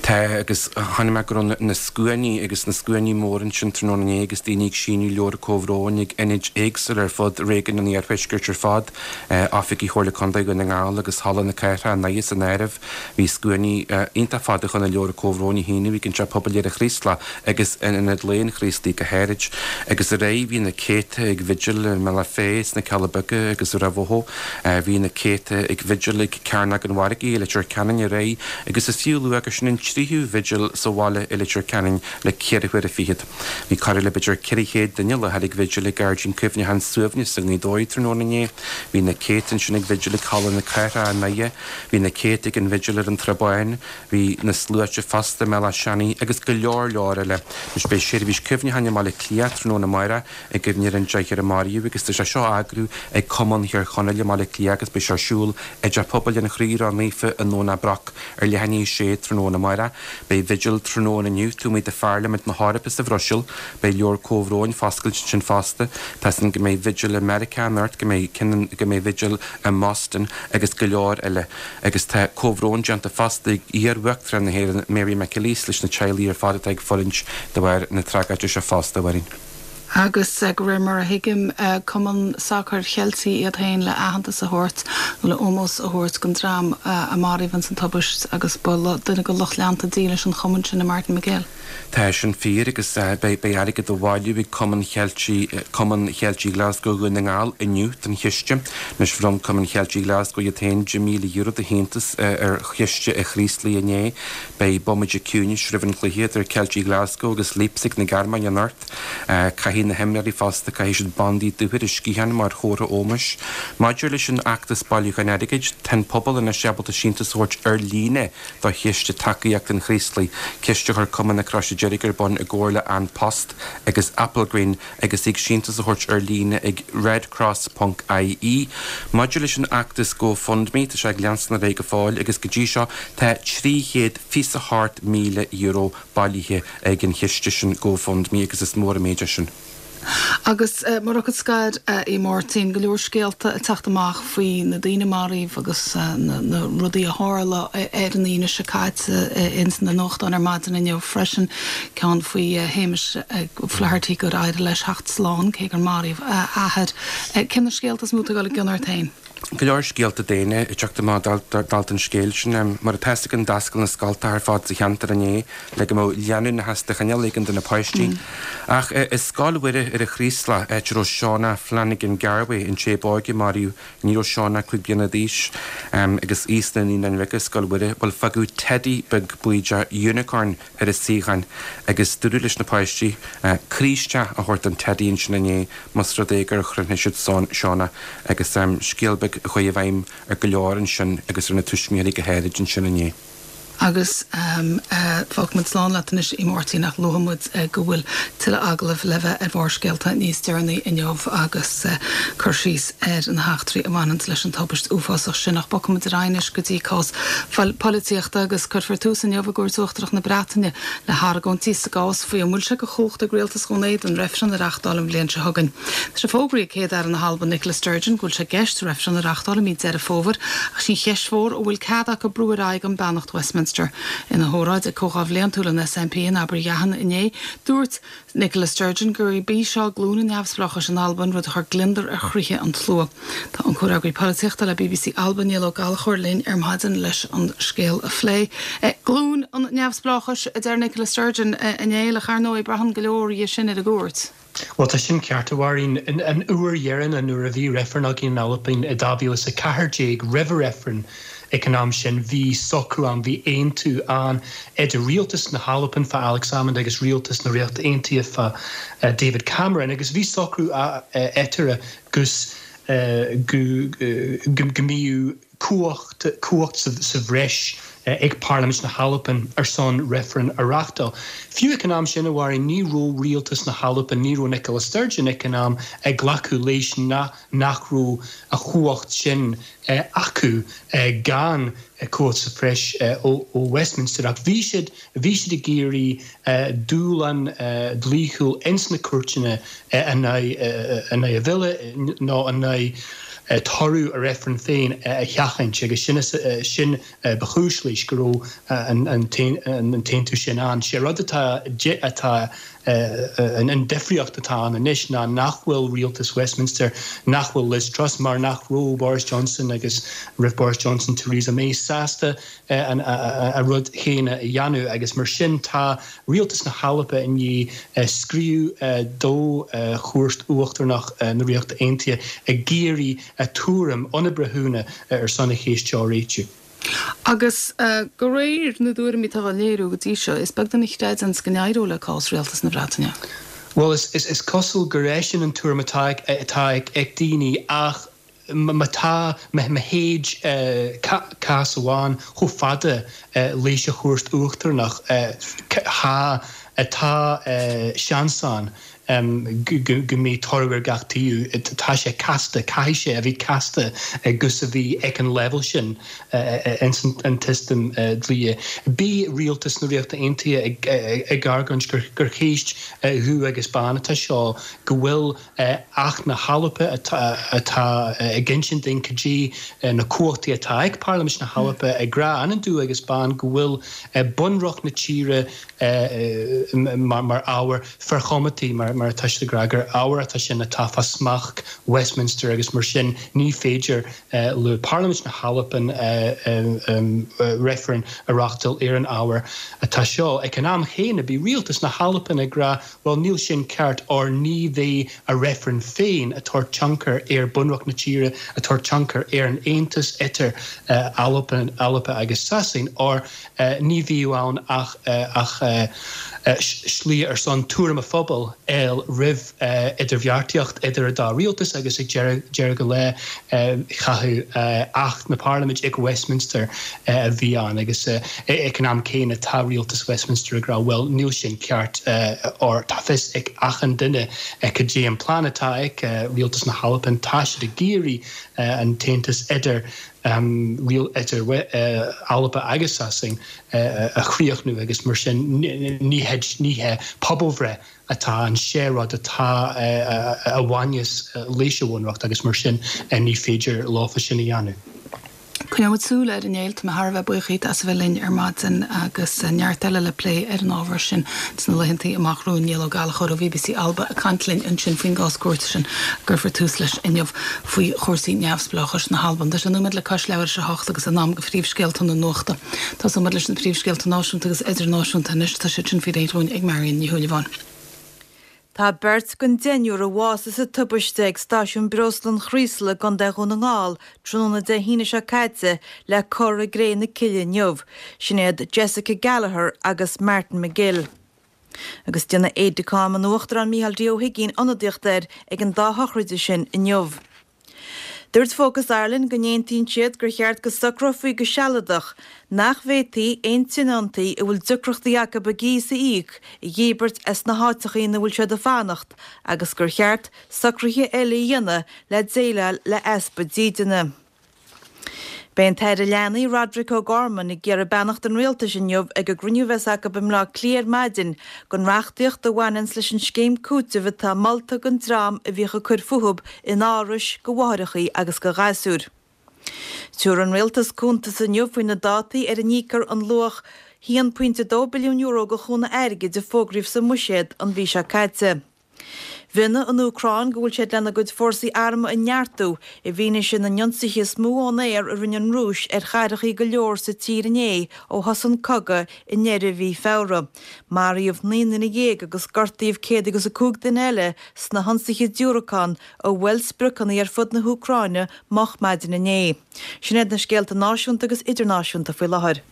Tá agus chonaic mé go raibh na scuainí agus na scuainí mór ansin tráthnóna inné agus daoine ag síniú leabhar comhbhróin ag ionaid éagsúla ar fud réigiún an Iarthuaiscirt ar fad, Oifigí Chomhairle Contae Dhún na nGall agus Halla na Cathrach i nDoire san áireamh. Bhí scuainí iontach fada chun na leabhar comhbhróin a shíniú ag an Teach Pobail ar an Chraoslach agus in Ionad Lae an Chraoslaigh go háirid. Agus aréir bhí na céadta ag vigil i mBealach Féich sna Cealla Beaga agus i Ráth Bhoth. Bhí na céadta ag vigil ag Cearnóg an Mhargaidh i Leitir Ceanainn aréir agus is fiú a lua gur sin an tríú vigil sa bhaile i Leitir Ceanainn le ceithre huaire fichead. Bhí corradh le b'fhéidir ceithre chéad duine i láthair ag vigil ag Gairdín Cuimhneacháin Suaimhneas i nGaoth Dobhair tráthnóna inné. Bhí na céadta ansin ag vigil ag Halla na Cathrach i nDoire, bhí na céadta ag an vigil ar an Trá Báin, bhí na sluaite fosta i mBealach Seanaidh agus go leor leor eile. Anois beidh seirbhís cuimhneacháin i mBaile Átha Cliath tráthnóna amárach i gcuimhne ar an deichniúr a maraíodh agus tá sé seo á eagrú ag Cumann Thír Chonaill i mBaile Átha Cliath agus beidh sé ar siúl i dTeach Pobail an Chroí Ró-Naofa i nDomhnach Broc ar leath i ndiaidh a sé tráthnóna amárach. amárach. Beidh vigil tráthnóna inniu taobh amuigh de Pharlaimint na hEorpa sa Bhruiséil. Beidh leabhar comhbhróin foscailte ansin fosta. Tá a fhios againn go mbeidh vigil i Meiriceá anocht, go mbeidh go mbeidh vigil i mBoston agus go leor eile. Agus tá comhbhrón déanta fosta ag iar-Uachtarán na hÉireann Mary McAleese leis na teaghlaigh ar fad atá ag fulaingt de bharr na tragóide seo fosta, a Mháirín. Agus de réir mar a thuigim, Cumann Sacair Cheiltigh iad féin le aitheantas a thabhairt nó le ómós a thabhairt don dream a maraíodh ins an tubaist agus ba duine de lucht leanta dílis an chumainn sin é Martin McGill. Tá sin fíor agus beidh airgead á bhailiú ag Cumann Cheiltigh Cumann Cheiltigh Glasgow Dhún na nGall inniu don chiste. Anois bhronn Cumann Cheiltigh Glasgow iad féin deich míle euro de shíntiús ar chiste an Chraoslaigh inné. Beidh bomaite ciúnais roimh an chluiche idir Ceiltigh Glasgow agus Leipzig na Gearmáine anocht. Caithfidh na himreoirí fosta, caithfidh siad bandaí dubha ar a sciatháin mar chomhartha ómóis. Maidir leis an fheachtas bailiúcháin airgid, tá an pobal anois ábalta síntiús a thabhairt ar líne do chiste tacaíochta an Chraoslaigh, ciste a chuir Cumann na Croise Deirge ar bun i gcomhar le An Post agus Applegreen agus thig síntiús a thabhairt ar líne ag redcross ponc ie. Maidir leis an fheachtas GoFundMe, tá sé ag leanstan ar aghaidh go fóill agus go dtí seo tá trí chéad fiche a hocht míle euro bailithe ag an chiste sin GoFundMe agus is mór an méid é sin. Agus mar fhocal scoir, a Mháirtín, go leor scéalta ag teacht amach faoi na daoine marbh agus na rudaí a tharla ar an Aoine seo caite ins na nuachtáin ar maidin inniu freisin, ceann faoi Shéamus Flaherty gur éirigh leis theacht slán cé gur maraíodh a athair. Cé na scéalta is mó atá ag dul i gcion ort féin? Go leor scéalta daonna ag teacht amach dálta an scéil sin. Mar atá a fhios againn d'oscail na scoltacha ar fad sa cheantar inné le go mbeadh leanúnachas de chineál éigin do na páistí. Ach i Scoil Mhuire ar an Chraoslach, áit a raibh Shauna Flanagan Garvey, an té ba óige a maraíodh, ní raibh Shauna cúig bliana d'aois, agus í sna Naíonáin Bheaga i Scoil Mhuire, bhuel fágadh teidí beag buí de unicorn ar a suíochán agus dúradh leis na páistí croí isteach a thabhairt don teidí ansin inné más rud é gur chroithnigh siad Shauna agus scéal beag a chuaigh i bhfeidhm ar go leor ansin agus ar na tuismitheoirí go háirid ansin inné. Agus fágfaidh muid slán leat anois a Mháirtín ach luafaidh muid go bhfuil tuilleadh agallamh le bheith ar Bharrscéalta níos deireanaí inniu agus cur síos ar na heachtraí a bhaineanns leis an tubaist uafásach sin. Ach bogfaidh muid ar aghaidh anois go dtí cás polaitíochta agus cuirfear tús inniu i gCúirt Uachtarach na Breataine le hargóintí sa gcás faoi an bhfuil sé de chumhacht ag Rialtas Dhún Éideann reifreann a reáchtáil an bhliain seo chugainn. Tá sé fógraithe ag Céad-Aire na hAlban Nicola Sturgeon go bhfuil sé i gceist reifreann a reáchtáil i mí Deireadh Fómhair ach sin cheist mhór an bhfuil cead acu brú ar aghaidh gan beannacht Westminster. Ina hóráid ag Comhdháil Bhliantúil an S N P in Abergavenny inné, dúirt Nicola Sturgeon gurb í seo glúin an neamhspleáchais in Albain, rud a chuir gliondar ar chroíthe an tslua. Tá an comhfhreagraí polaitíochta le B B C Alba Niall Ó Gallchóir linn ar maidin leis an scéal a phlé. Glúin an neamhspleáchais a deir Nicola Sturgeon inné le ar ndóigh braitheann go leor dhe sin ar an gcúirt. Well tá sin ceart a Mháirín an uair dheireanach nuair a bhí reifreann againn in Albain i dhá mhíle is a ceathair déag roimh reifreann ag an am sin bhí socrú ann bhí aontú ann idir rialtas na hAlban fá Alex Salmond agus rialtas na Ríochta Aontaithe fá uh, David Cameron agus bhí socrú eatarthu gus uh, go go mbíodh cumhacht cumhacht sa, sa bhreis ag Parlaimint na hAlban ar son reifreann a reáchtáil. Fiú ag an am sin a Mháirín ní raibh rialtas na hAlban ní raibh Nicola Sturgeon ag an am ag glacadh leis na nach raibh an chumhacht sin eh, acu eh, gan eh, cumhacht sa bhreis eh, ó, ó Westminster ach bhí siad bhí siad ag iarraidh eh, dúshlán eh, dlíthiúil ins na cúirteanna eh, an eh, an a bhille nó an eh, toradh a reifreann féin eh, a sheachaint agus sin eh, sin ba chúis leis go raibh an t-aontú sin ann. Sé rud atá atá an difríocht atá ann anois ná nach bhfuil rialtas Westminster nach bhfuil Liz Truss mar nach raibh Boris Johnson agus roimh Boris Johnson Theresa May sásta an a rud céanna a dhéanamh agus mar sin tá rialtas na hAlban i ndiaidh scríobh do Chúirt Uachtarach na Ríochta Aontaithe ag iarraidh a tuairim óna breithiúna ar son an cheist seo a réitiú. Agus uh, de réir na dtuairimí atá á léiriú go dtí seo, is beag duine a chreideann go n-éireoidh le cás rialtas na Breataine. Well is, is, is cosúil gur é sin an tuairim atá atá ag daoine ach má tá má théid cás amháin chomh fada leis an Chúirt Uachtarach tá tá seans ann go mbeidh toradh ar gach taobh. Tá sé casta, caithfidh sé a bheith casta gus a bheith ag an level sin ins an tsysteam dlíthe. Bhí rialtas na Ríochta Aontaithe ag argóint gur cheist dhubh agus bán atá seo, go bhfuil Acht na hAlba atá ag insint dúinn cad é na cumhachtaí atá ag Parlaimint na hAlba ag rá an-dubh agus bán go bhfuil bunreacht na tíre mar ábhar forchoimeádaí, mar atá siad ag rá, gur ábhar atá sin atá fá smacht Westminster agus mar sin ní féidir le Parlaimint na hAlban reifreann a reáchtáil ar an ábhar atá seo. Ag an am chéanna, bhí rialtas na hAlban ag rá bhuel níl sin ceart óir ní bheidh a reifreann féin ag tabhairt tionchar ar bunreacht na tíre, ag tabhairt tionchar ar an aontas idir Albain, Alba agus Sasain óir ní bhíodh ann ach ach slí ar son tuairim an phobail a fháil roimh idirbheartaíocht idir an dá rialtas agus ag deireadh an lae chaithfeadh Acht na Parlaiminte ag Westminster a bhí ann agus ag an am céanna tá rialtas Westminster ag rá bhuel níl sin ceart óir tá fios ag achan duine cad é an plean atá ag rialtas na hAlban, tá siad ag iarraidh an t-aontas idir idir Alba agus Sasain a chríochnú agus mar sin ní hé pobalbhreith atá ann, sé rud atá a bhaineas leis an bhunreacht agus mar sin ní féidir leofa sin a dhéanamh. Coinneoidh muid súil air a Néill, tá mé thar a bheith buíoch díot as a bheith linn ar maidin agus neart eile le plé ar an ábhar sin sna laethanta amach romhainn. Niall Ó Gallchóir ó B B C Alba ag caint linn ansin faoin gcás cúirte sin a gcuirfear tús leis inniu faoi chúrsaí neamhspleáchais na hAlban. Tá sé nóiméad le cois leathuair tar éis a hocht agus in am do phríomhscéalta na nuachta. Tosóidh muid leis na príomhscéalta náisiúnta agus idirnáisiúnta anois, tá siad sin faoi réir dúinn ag Marion Ní Shúilleabháin. Tá beirt den deichniúr a bhásaigh sa tubaiste ag stáisiún breosla an Chraoslaigh i gContae Dhún na nGall tráthnóna Dé hAoine seo caite le cur i gcré na cille inniu. Sin iad Jessica Gallagher agus Martin McGill. Agus déanfaidh aide-de-camp an Uachtaráin Micheál D. Ó hUigínn ionadaíocht air ag an dá shochraid sin inniu. Dúirt Focus Ireland go n-aontaíonn siad gur cheart go socrófaí go sealadach nach bhféadfaí aon tionóntaí a bhfuil deacrachtaí acu a gcíos a íoc a dhíbirt as na háiteacha ina bhfuil siad ag fanacht agus gur cheart socruithe eile a dhéanamh le déileáil le easpa dídine. Beidh an tAire Leanaí Roderick O'Gorman ag iarraidh beannacht an rialtais inniu ag an gcruinniú a bheas acu i mBleá Cliath ar maidin don reachtaíocht a bhaineanns leis an scéim cúitimh atá molta don dream a bhíodh ag cur fúthu in árais do mháithreacha agus do ghasúir. Tabharfaidh an rialtas cuntas inniu faoi na dátaí ar a n-íocfar an luach haon pointe dó billiún euro de chúnamh airgid a fógraíodh sa mbuiséad an mhí seo caite. Mhionnaigh an Úcráin go bhfuil siad lena gcuid fórsaí armtha a neartú i bhfianaise na n-ionsaithe is mó ón aer a rinne an Rúis ar chathracha go leor sa tír inné ó thosaigh an cogadh i ndeireadh mhí Feabhra. Maraíodh naoi nduine dhéag agus gortaíodh céad agus a cúig duine eile sna hionsaithe diúracán a bhuail spriocanna ar fud na hÚcráine moch maidin inné. Sin iad na scéalta náisiúnta agus idirnáisiúnta faoi láthair.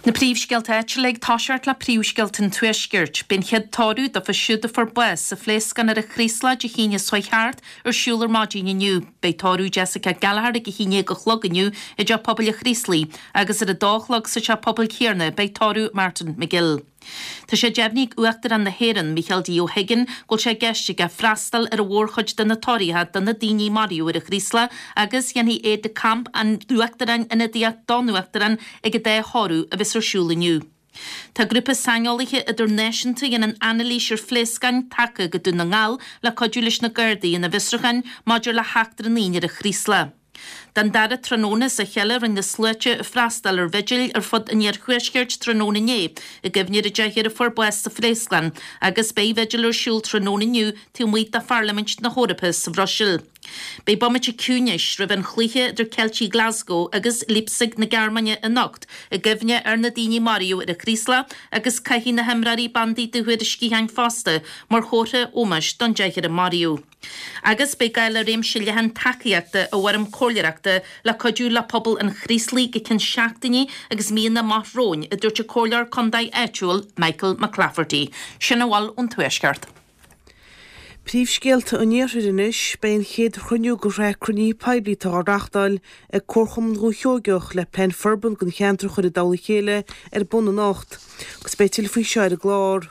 Na príomhscéalta áitiúla ag toiseacht le príomhscéalta an Tuaiscirt. Beidh an chéad tórramh dófa siúd a fuair bás sa phléascán ar an Chraoslach Dé hAoine seo thart ar siúl ar maidin inniu. Beidh tórramh Jessica Gallagher ag a haon déag a chlog inniu i dteach pobail an Chraoslaigh agus ar a dó a chlog sa teach pobail céanna beidh tórramh Martin McGill. Tá sé deimhnithe ag Uachtarán na hÉireann, Micheál D. Ó hUiginn, go bhfuil sé i gceist aige freastal ar an mhórchuid de na tórraithe do na daoine a maraíodh ar an Chraoslach agus dhéanfaidh aide-de-camp an Uachtaráin ionadaíocht don Uachtarán ag an dá thórramh a bheas ar siúl inniu. Tá grúpa saineolaithe idirnáisiúnta a dhéanann anailís ar phléascáin tagtha go Dún na nGall le cuidiú leis na Gardaí ina bhfiosrúcháin maidir le heachtra an aonaigh ar an Chraoslach. Den dara tráthnóna as a chéile rinne na sluaite freastal ar bhigil ar fud an iarthuaiscirt tráthnóna inné i gcuimhne ar an deichniúr a fuair bás sa phléascán agus beidh vigil ar siúl tráthnóna inniu taobh amuigh de Pharlaimint na hEorpa sa Bhruiséil. Beidh bomaite ciúnais roimh an chluiche idir Ceiltigh Glasgow agus Leipzig na Gearmáine anocht i gcuimhne ar na daoine a maraíodh ar an Chraoslach agus caithfidh na himreoirí bandaí dubha ar a sciatháin fosta mar chomhartha ómóis don deichniúr a maraíodh. Agus beidh gá le réimse leathan tacaíochta i bhfoirm comhairleoireachta le cuidiú le pobal an Chraoslaigh go ceann seachtainí agus míonna amach romhainn, a dúirt an comhairleoir contae áitiúil Michael McClafferty. Sin a bhfuil ón Tuaisceart. Príomhscéalta an Iarthair anois, beidh an chéad chruinniú de shraith cruinnithe poiblí atá á reáchtáil ag Comharchumann Dhúiche Sheoigeach le plean forbartha don cheantar a chur i dtoll a chéile ar bun anocht, agus beidh tuilleadh faoi seo ar an gclár.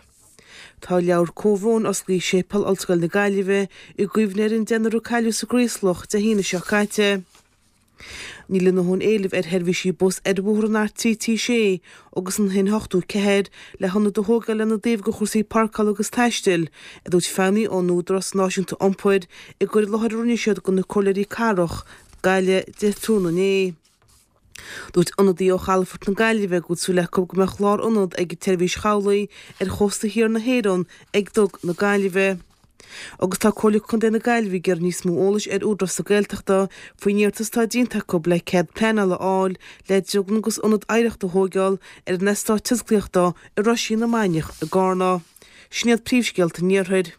Tá leabhar comhbhróin osclaithe i Séipéal Ollscoil na Gaillimhe i gcuimhne ar an deichniúr a cailleadh sa gCraoslach Dé hAoine seo caite. Níl a ndóthain éilimh ar sheirbhísí bus ar bhóthar an R trí trí sé agus an haon ochtó ceathair le hionad a thógáil lena dtaobh de chúrsaí páirceála agus taistil, a dúirt feidhmeannaigh ón Údarás Náisiúnta Iompair i gcur i láthair a rinne siad do na comhairleoirí cathrach Gaillimhe Dé tráthnóna inné. Dúirt ionadaí ó Chalafort na Gaillimhe go bhfuil súil acu go mbeadh lárionad ag an tseirbhís chabhlaigh ar chósta thiar na hÉireann ag Duga na Gaillimhe. Agus tá Comhairle Contae na Gaillimhe ag iarraidh níos mó eolais ar Údarás na Gaeltachta faoin iarratas atá déanta acu le cead pleanála a fháil le drioglann agus ionad oidhreachta a thóigeáil ar an eastát tionsclaíochta i Roisín na Mainiach i gCarna. Sin iad príomhscéalta an Iarthair.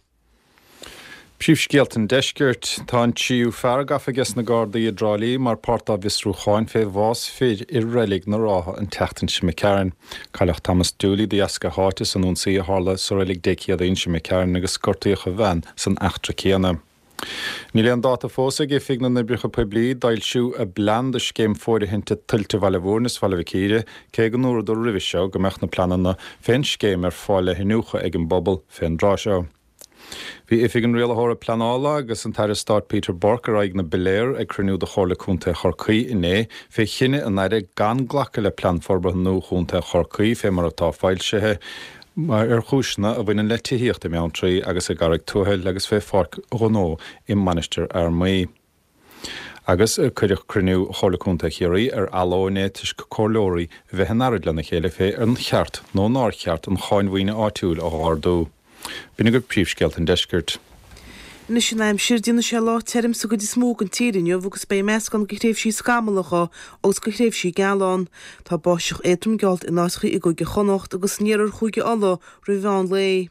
Príomhscéalta an Deiscirt. Tá an tríú fear gafa aige sna Gardaí i dTrá Lí mar páirt dá bhfiosrúcháin fé bhás fir i Reilig na Rátha an tseachtain seo imigh tharainn. Cailleadh Thomas Dooley de dheasca a sháite san ionsaí a tharla sa reilig Dé Céadaoin seo imigh tharainn agus gortaíodh a bhean san eachtra céanna. Níl aon dáta fós ag Oifig na nOibreacha Poiblí d'fhoilsiú a bplean do scéim fóirithinte tuilte Bhaile Mhúirne is Bhaile Mhic Íre, cé go ndúradar roimhe seo go mbeadh na pleananna fén scéim ar fáil le hiniúchadh ag an bpobal fén dtráth seo. Bhí Oifig an Rialaitheora Pleanála agus an tAire Stáit Peter Burke ar aghaidh na bpiléar ag cruinniú de Chomhairle Contae Chorcaí inné fé chinneadh an Aire gan glacadh le Plean Forbartha nua Chontae Chorcaí fé mar atá foilsithe ar chúiseanna a bhaineann le tithíocht i mBeanntraí agus i gCarraig Tuathail agus fé pháirc ghnó i Mainistir Fhear Maí. Agus cuireadh cruinniú Chomhairle Contae Chiarraí ar athló inné toisc comhairleoirí a bheith in earraid lena chéile fé ar cheart nó nár cheart an cháin mhaoine áitiúil a ardú. B'in agaibh príomhscéalta an deiscirt. Anois an aimsir, déanfaidh sé lá tirim sa gcuid is mó den tír inniu agus beidh meascán de thréimhsí scamallacha agus de thréimhsí geala ann. Tá báisteach éadrom geallta in áiteacha i gCúige Chonnacht agus in iarthar Chúige Uladh roimh mheán lae.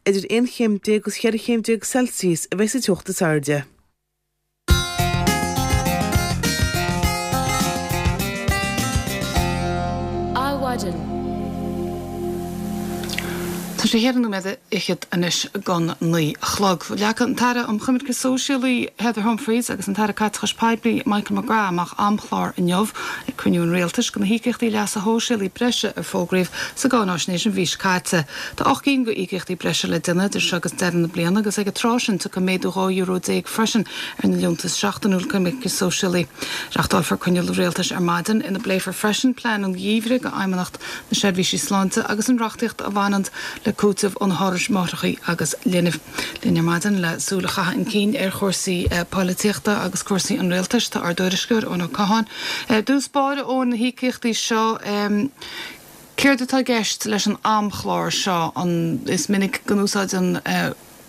Idir aon chéim déag agus cheithre chéim déag Celsius a bheidh sa teocht is airde. Adhmhaidin. Tá sé cheithre nóiméad fhichead anois don naoi a chlog. Leagfaidh an tAire um Choimirce Sóisialaí Heather Humphreys agus an tAire Caiteachais Poiblí Michael McGrath amach amchlár inniu ag cruinniú an Rialtais do na híocaíochtaí leasa shóisialaigh breise a fógraíodh sa gcáináisnéis an mhí seo caite. Tá ocht gcinn de íocaíochtaí breise le déanamh idir seo agus deireadh na bliana agus ag an tráth sin tiocfaidh méadú dhá euro déag freisin ar na liúntais seachtainiúil coimirce sóisialaí. Reáchtálfar cruinniú Rialtais ar maidin ina bpléifear freisin plean an gheimhridh do Fheidhmeannacht na Seirbhísí Sláinte agus an reachtaíocht a bhaineann le cúiteamh ó na hárais máithreacha agus linbh. Linn ar maidin le súil a chaitheamh chun cinn ar chúrsaí polaitíochta agus cúrsaí an rialtais tá ár dtuairisceoir Eoin Ó Catháin. Dtús báire ó na híocaíochtaí seo céard atá i gceist leis an amchlár seo an is minic go n-úsáideann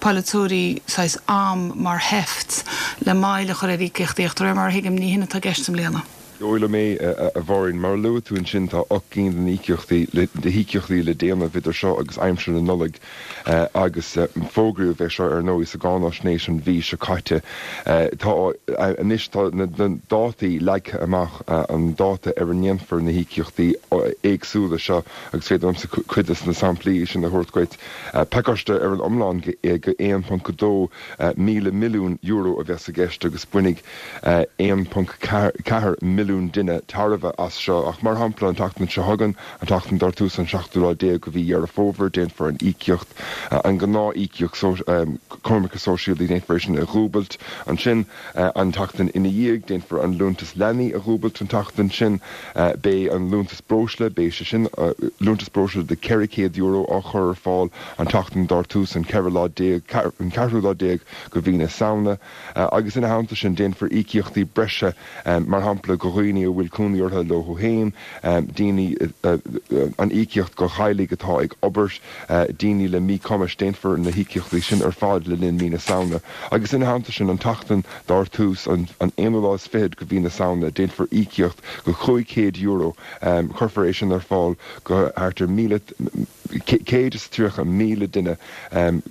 polaiteoirí saghas am mar sheift le moill a chur ar íocaíochtaí ach de réir mar a thuigim ní hin atá i gceist i mbliana. Dóigh liom é, a Mháirín. Mar a luaigh tú ansin, tá ocht gcinn de íocaíochtaí de híocaíochtaí le déanamh idir seo agus aimsir na Nollag agus fógraíodh é seo ar ndóigh sa gcáináisnéis an mhí seo caite. Tá anois tá na dátaí leagtha amach, an dáta ar a ndéanfar na híocaíochtaí éagsúla seo agus féidir liomsa cuid de na samplaí sin a thabhairt dhuit. Pacáiste ar an iomlán de aon ponc dó míle milliún euro a bheas i gceist agus bainfidh aon ponc ceathair milliún duine tairbhe as seo. Ach mar shampla, an tseachtain seo chugainn, an tseachtain dar tús an seachtú lá déag de mhí Dheireadh Fómhair, déanfar an íocaíocht, an ghnáth-íocaíocht coimirce sóisialaí, déanfar é sin a dhúbailt. Ansin, an tseachtain ina dhiaidh, déanfar an liúntas leanaí a dhúbailt an tseachtain sin. Beidh an liúntas breosla, beidh sé sin, liúntas breosla de ceithre chéad euro á chur ar fáil an tseachtain dar tús an ceithre lá déag, an ceathrú lá déag de mhí na Samhna. Agus ina theannta sin, déanfar íocaíochtaí breise, mar shampla, do dhaoine a bhfuil cónaí orthu leo féin, daoine, an íocaíocht do theaghlaigh atá ag obair, daoine le míchumais, déanfar na híocaíochtaí sin ar fad le linn mí na Samhna. Agus ina theannta sin, an tseachtain dar tús an aonú lá is fichead de mhí na Samhna, déanfar íocaíocht de chúig chéad euro, cuirfear é sin ar fáil do thart ar míle, céad is tríocha míle duine,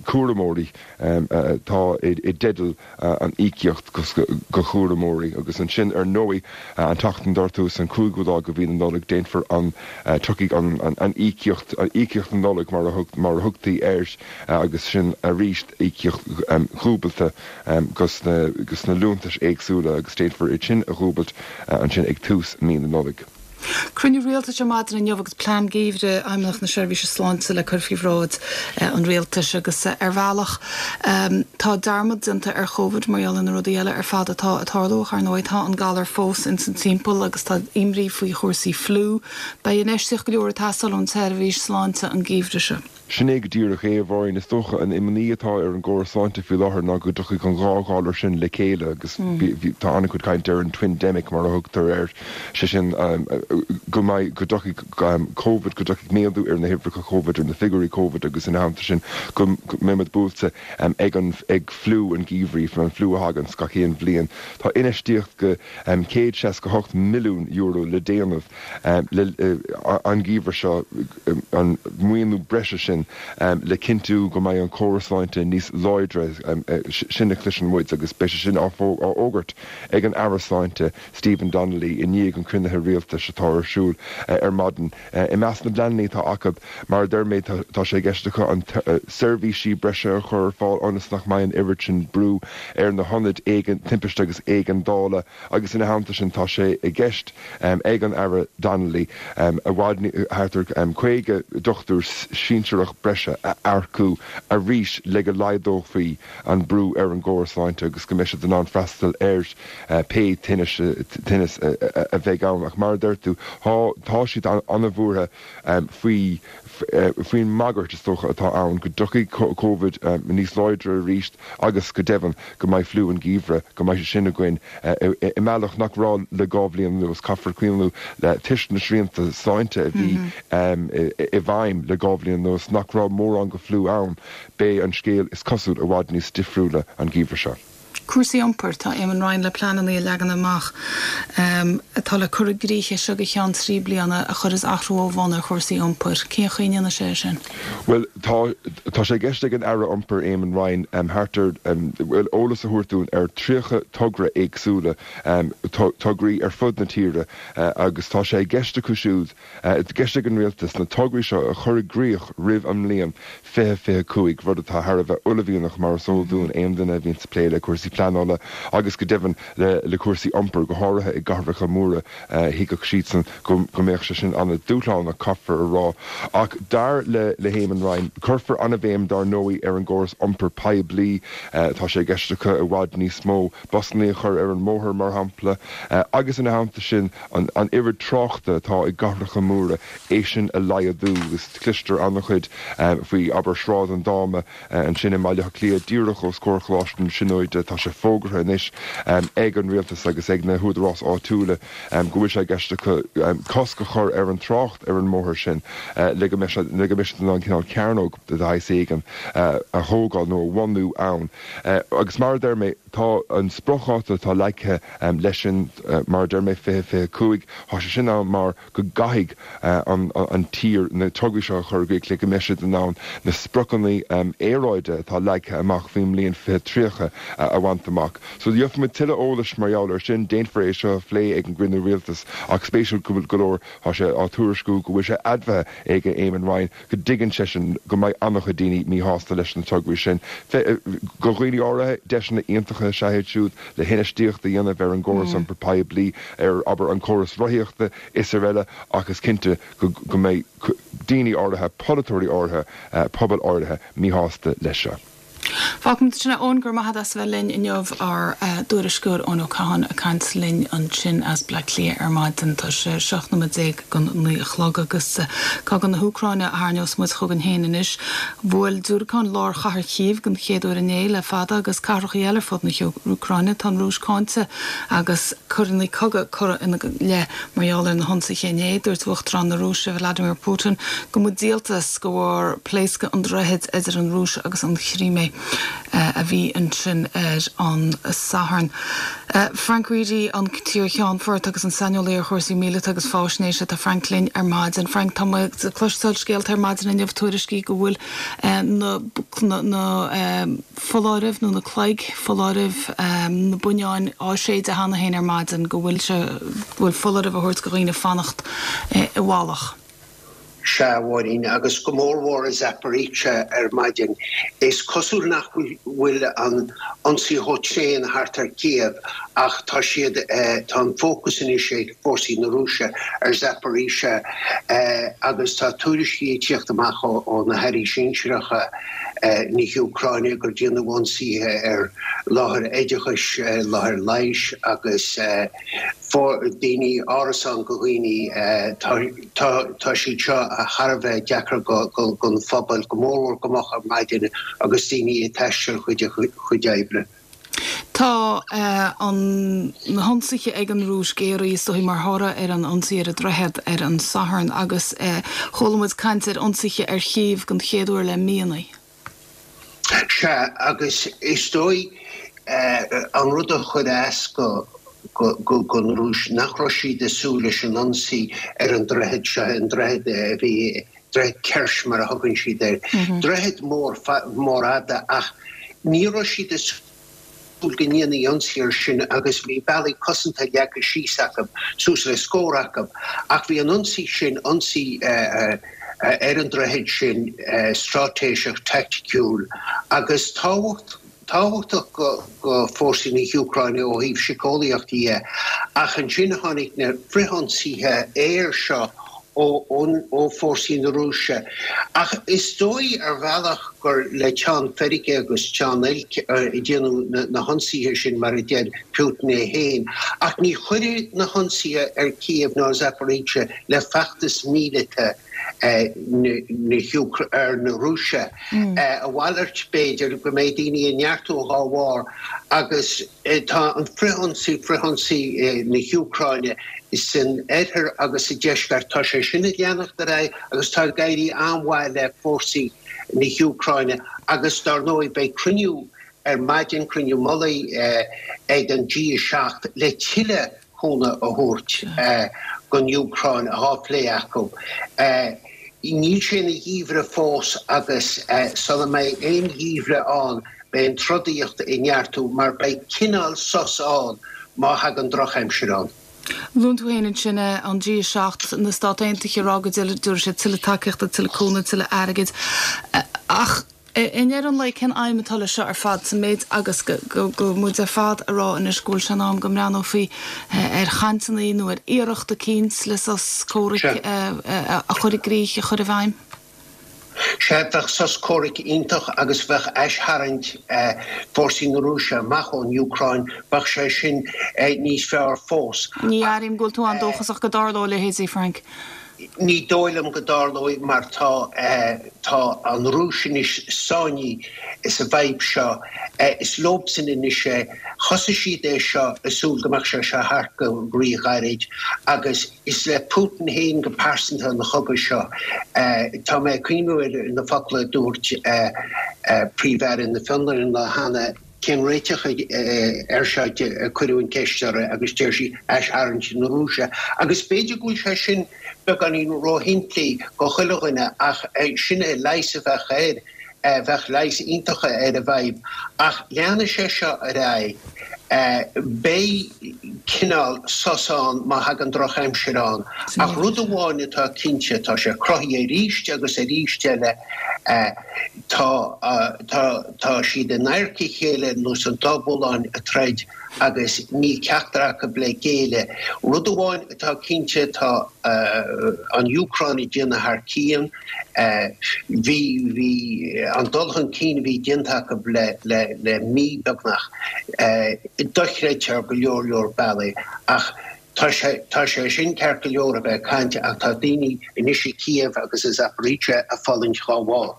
cúramóirí atá i dteideal an íocaíocht do chúramóirí. Agus ansin, ar ndóigh, an tseachtain dar tús an cúigiú lá de mhí na Nollag, déanfar an, tiocfaidh an íocaíocht, íocaíocht na Nollag mar a mar a thugtaí air, agus sin arís íocaíocht dhúbailte dos na liúntais éagsúla agus déanfar iad sin a dhúbailt ansin ag tús mí na Nollag. Cruinniú rialtais ar maidin inniu agus plean geimhridh Fheidhmeannacht na Seirbhíse Sláinte le cur faoi bhráid an rialtais agus ar bhealach tá dearmad déanta ar Covid mar gheall ar na rudaí eile ar fad atá ag tarlú ach ar ndóigh tá an galar fós ins an timpeall agus tá imní faoi chúrsaí fliú. Beidh infheistíocht go leor ag teastáil ón tseirbhís sláinte an geimhreadh seo. Sin é go díreach é, a Mháirín. Is dócha an imní atá ar an gcóras sláinte faoi láthair ná go dtiocfaidh an dhá ghalar sin le chéile agus tá an-chuid cainte ar an twindemic mar a thugtar air, sé sin go mbeidh, go dtiocfaidh Covid, go dtiocfaidh méadú ar na huimhreacha Covid, ar na figiúirí Covid agus ina theannta sin go mbeidh muid buailte ag an, ag fliú an gheimhridh, an fliú a thaganns gach aon bhliain. Tá infheistíocht go céad seasca hocht milliún euro le déanamh le an geimhreadh seo, an maoiniú breise sin le cinntiú go mbeidh an córas sláinte níos láidre, sin a chloiseann muid agus beidh sé sin á fhógairt ag an Aire Sláinte Stephen Donnelly i ndiaidh an chruinnithe rialtais atá ar siúl ar maidin. I measc na bpleananna atá acu, mar a deir mé, tá sé i gceist acu an seirbhísí breise a chur ar fáil ionas nach mbeidh an oiread sin brú ar na hionaid timpiste agus éigeandála agus ina theannta sin tá sé i gceist ag an Aire Donnelly i bhfad thart ar caoga dochtúir sinsearach breise a earcú arís le go laghdófaí an brú ar an gcóras sláinte agus go mbeidh siad in ann freastal ar pé tinneas a bheidh ann. Ach mar a deir tú, tá siad an-bhuartha faoi faoin mbagairt, is dócha, atá ann go dtiocfaidh Covid níos láidre arís agus go deimhin go mbeidh fliú an gheimhridh, go mbeidh sé sin againn i mbealach nach raibh le dhá bhliain anuas. Caithfear cuimhniú le toisc na srianta sláinte a bhí i bhfeidhm le dhá bhliain anuas nach raibh mórán go fliú ann, beidh an scéal, is cosúil, i bhfad níos difriúla an geimhreadh seo. Cúrsaí iompair, Tá Eamon Ryan le pleananna a leagan amach atá le cur i gcrích as seo go ceann trí bliana a chuirfeas athrú ó bhonn ar chúrsaí iompair. Cén chaoi a ndéanfaidh sé é sin? Bhuel, tá tá sé i gceist ag an Aire Iompair Eamon Ryan thart ar, bhuel, eolas a thabhairt dúinn ar tríocha togra éagsúla, tograí ar fud na tíre agus tá sé i gceist acu siúd, i gceist ag an Rialtas na tograí seo a chur i gcrích roimh an mbliain fiche fiche cúig, rud atá thar a bheith uaillmhianach mar is eol dúinn, aon duine a bhíonns ag plé le cúrsaí pleanála agus go deimhin le cúrsaí iompair, go háirithe i gcathracha móra, thuigfeadh siadsan go mbeadh sé sin an-dúshlánach, caithfear a rá. Ach dar le hÉamon Ryan, cuirfear an-bhéim dar ndóigh ar an gcóras iompair poiblí, tá sé i gceist acu i bhfad níos mó busanna a chur ar an mbóthar, mar shampla, agus ina theannta sin an oiread tráchta atá i gcathracha móra, é sin a laghdú agus cloistear an-chuid faoi, abair, Sráid an Dáma ansin i mBaile Átha Cliath, díreach os comhair Choláiste na Tríonóide. Tá sé fógartha anois ag an rialtas agus ag na húdaráis áitiúla go bhfuil sé i gceist acu cosc a chur ar an trácht ar an mbóthar sin le go mbeidh siad in ann cineál cearnóg de shaghas éigin a thógáil nó a bhunú ann. Agus mar a deir mé, tá an spriocdháta atá leagtha leis sin, mar a deir mé, fiche fiche cúig, tá sé sin ann mar go gcaithfidh an tír na tograí seo a chur i gcrích le go mbeidh siad in ann na spriocanna aeráide atá leagtha amach faoin mbliain fiche tríocha a bhaint amach. So gheobhaimid tuilleadh eolais mar gheall air sin. Déanfar é seo a phlé ag an gcruinniú rialtais ach spéisiúil go leor tá sé á tuairisciú go bhfuil sé admhaithe ag Eamon Ryan go dtuigeann seisean go mbeidh an-chuid daoine míshásta leis na tograí sin. Do dhaoine áirithe, deiseanna iontacha is ea iad siúd le hinfheistíocht a dhéanamh ar an gcóras iompair poiblí, ar, abair, an córas rothaíochta is araile ach is cinnte go mbeidh daoine áirithe, polaiteoirí áirithe, pobail áirithe míshásta leis seo. Fágfaimid ansin é, Eoin, go raibh maith agat as a bheith linn inniu, ár dtuairisceoir Eoin Ó Catháin ag caint linn ansin as Bleá Cliath ar maidin. Tá sé seacht nóiméad déag don naoi a chlog agus cogadh na hÚcráine a tharraingeos muid chugainn féin anois. Bhuail diúracáin lár chathair Chív den chéad uair inné le fada agus cathracha eile ar fud na hÚcráine. Tá an Rúis cáinte agus coireanna cogaidh curtha ina leith mar gheall ar na hionsaithe inné. Dúirt Uachtarán na Rúise Vladimir Putin go mba díoltas de bharr pléascadh an droichid idir an Rúis agus an Chrímé a bhí ansin ar an Satharn. Frank Reidy, an t-iar-cheannfort agus an saineolaí ar chúrsaí míleata agus faisnéise. Tá Frank linn ar maidin. Frank, tá muid ag cloisteáil scéalta ar maidin inniu, tuairiscí go bhfuil na na foláirimh nó na cloig foláirimh, na buinneáin á séideadh cheana féin ar maidin, go bhfuil sé, go bhfuil foláireamh á thabhairt do dhaoine fanacht i bhfolach. Sea, a Mháirín, agus go mór mhór i Zaporizhzhia ar maidin. Is cosúil nach bhfuil an ionsaí chomh tréan thart ar Kiev ach tá siad, tá an fócas anois ag fórsaí na Rúise ar Zaporizhzhia agus tá tuairiscí ag tíocht amach ó na hairí sinsearacha na hÚcráine gur déanadh ionsaithe ar láthair oideachais, láthair leighis agus daoine, árasáin go dhaoine. Tá siad seo thar a bheith deacair don phobal, go mórmhór go moch ar maidin agus daoine ag taisteal chuig a gcuid oibre. Tá an na hionsaithe ag an Rúis géaraithe is dóigh mar thoradh ar an ionsaí ar an droichead ar an Satharn agus chuala muid caint ar ionsaithe ar Chív den chéad uair le míonna. Sea, agus is dóigh an rud a chuir as go don Rúis nach raibh siad ag súil leis an ionsaí ar an droichead seo, an droichead a bhí, droichead Kerch mar a thugann siad air. Droichead mór, mór fhada ach ní raibh siad ag súil go ndéanfaí ionsaí air sin agus bhí bealaí cosanta leagtha síos acu, suas le scór acu. Ach bhí an ionsaí sin, ionsaí ar an droichead sin, straitéiseach, taicticiúil agus tábhacht, tábhachtach go fórsaí na hÚcráine ó thaobh síceolaíochta dhe, ach ansin tháinig na frithionsaithe aeir seo ó fórsaí na Rúise. Ach is dóigh ar bhealach gur le teann feirge agus teann oilc a déanadh na hionsaithe sin, mar a deir Putin é féin. Ach ní chuirfidh na hionsaithe ar Kiev ná Zaporizhzhia le feachtas míleata na Rúise. A mhalairt, b'fhéidir, go mbeidh daoine ag neartú dhá bharr agus tá an frithionsaí, frithionsaí na hÚcráine san oirthear agus sa deisceart, tá sé sin ag leanacht ar aghaidh agus tá ag éirí an-mhaith le fórsaí na hÚcráine agus dar ndóigh beidh cruinniú ar maidin, cruinniú mullaigh ag an G a seacht le tuilleadh cúnamh a thabhairt don Úcráin á phlé acu. Níl sé ina gheimhreadh fós agus sula mbeidh aon gheimhreadh ann beidh an trodaíocht ag neartú mar beidh cineál sos ann má thagann drochaimsir ann. Luann tú féin ansin an G a seacht, na Stát Aontaithe ag rá go dtabharfaidh siad tuilleadh tacaíochta, tuilleadh cúnamh, tuilleadh airgid ach I ndeireadh an lae, cén aidhm atá leis seo ar fad, sa méid agus go bhfuil muid ar fad ag rá anois go bhfuil sé in am go mbreathnófaí ar chainteanna nó ar iarracht eicínt le sos comhraic a chur i gcrích, a chur i bhfeidhm? Sea, bheadh sos comhraic iontach agus bheadh aistarraingt fórsaí na Rúise amach ón Úcráin, bheadh sé sin níos fearr fós. Ní airím go bhfuil tú an-dóchasach go dtarlóidh a leithéidí, Frank. Ní dóigh liom go dtarlóidh mar tá tá an Rúis anois sáinnithe sa bhfadhb seo. Is leobsan anois é. Thosaigh siad é seo ag súil go mbeadh sé seo thart go ríghairid agus is le Putin féin go pearsanta an chogadh seo. Tá mé ag cuimhniú ar na focla a dúirt Príomh-Aire na Fionlainne an lá cheana, Cén réiteach air seo? a cuireadh an cheist uirthi agus deir sí, aistarraingt na Rúise. Agus b'fhéidir go bhfuil sé sin beagáinín róshimplí go chuile dhuine ach sin é leigheas a bheadh air, bheadh leigheas iontach ar an bhfadhb. Ach leanfaidh sé seo ar aghaidh. Beidh cineál sos ann má thagann drochaimsir ann. Ach rud amháin atá cinnte, tá sé cruthaithe arís agus arís eile, Tá, tá, tá siad in adharca a chéile ar nós an dá bhullán ag troid agus níl ceachtar acu le géilleadh. Rud amháin atá cinnte, tá an Úcráin ag déanamh thar cionn. Bhí, bhí an dul chun cinn a bhí déanta acu le, le, le mí beagnach, dochreidte ar go leor leor bealaí ach, Tá sé, tá sé sin ceart go leor a bheith ag caint ach tá daoine anois i Kiev agus i Zaporizhzhia ag fulaingt dhá bharr.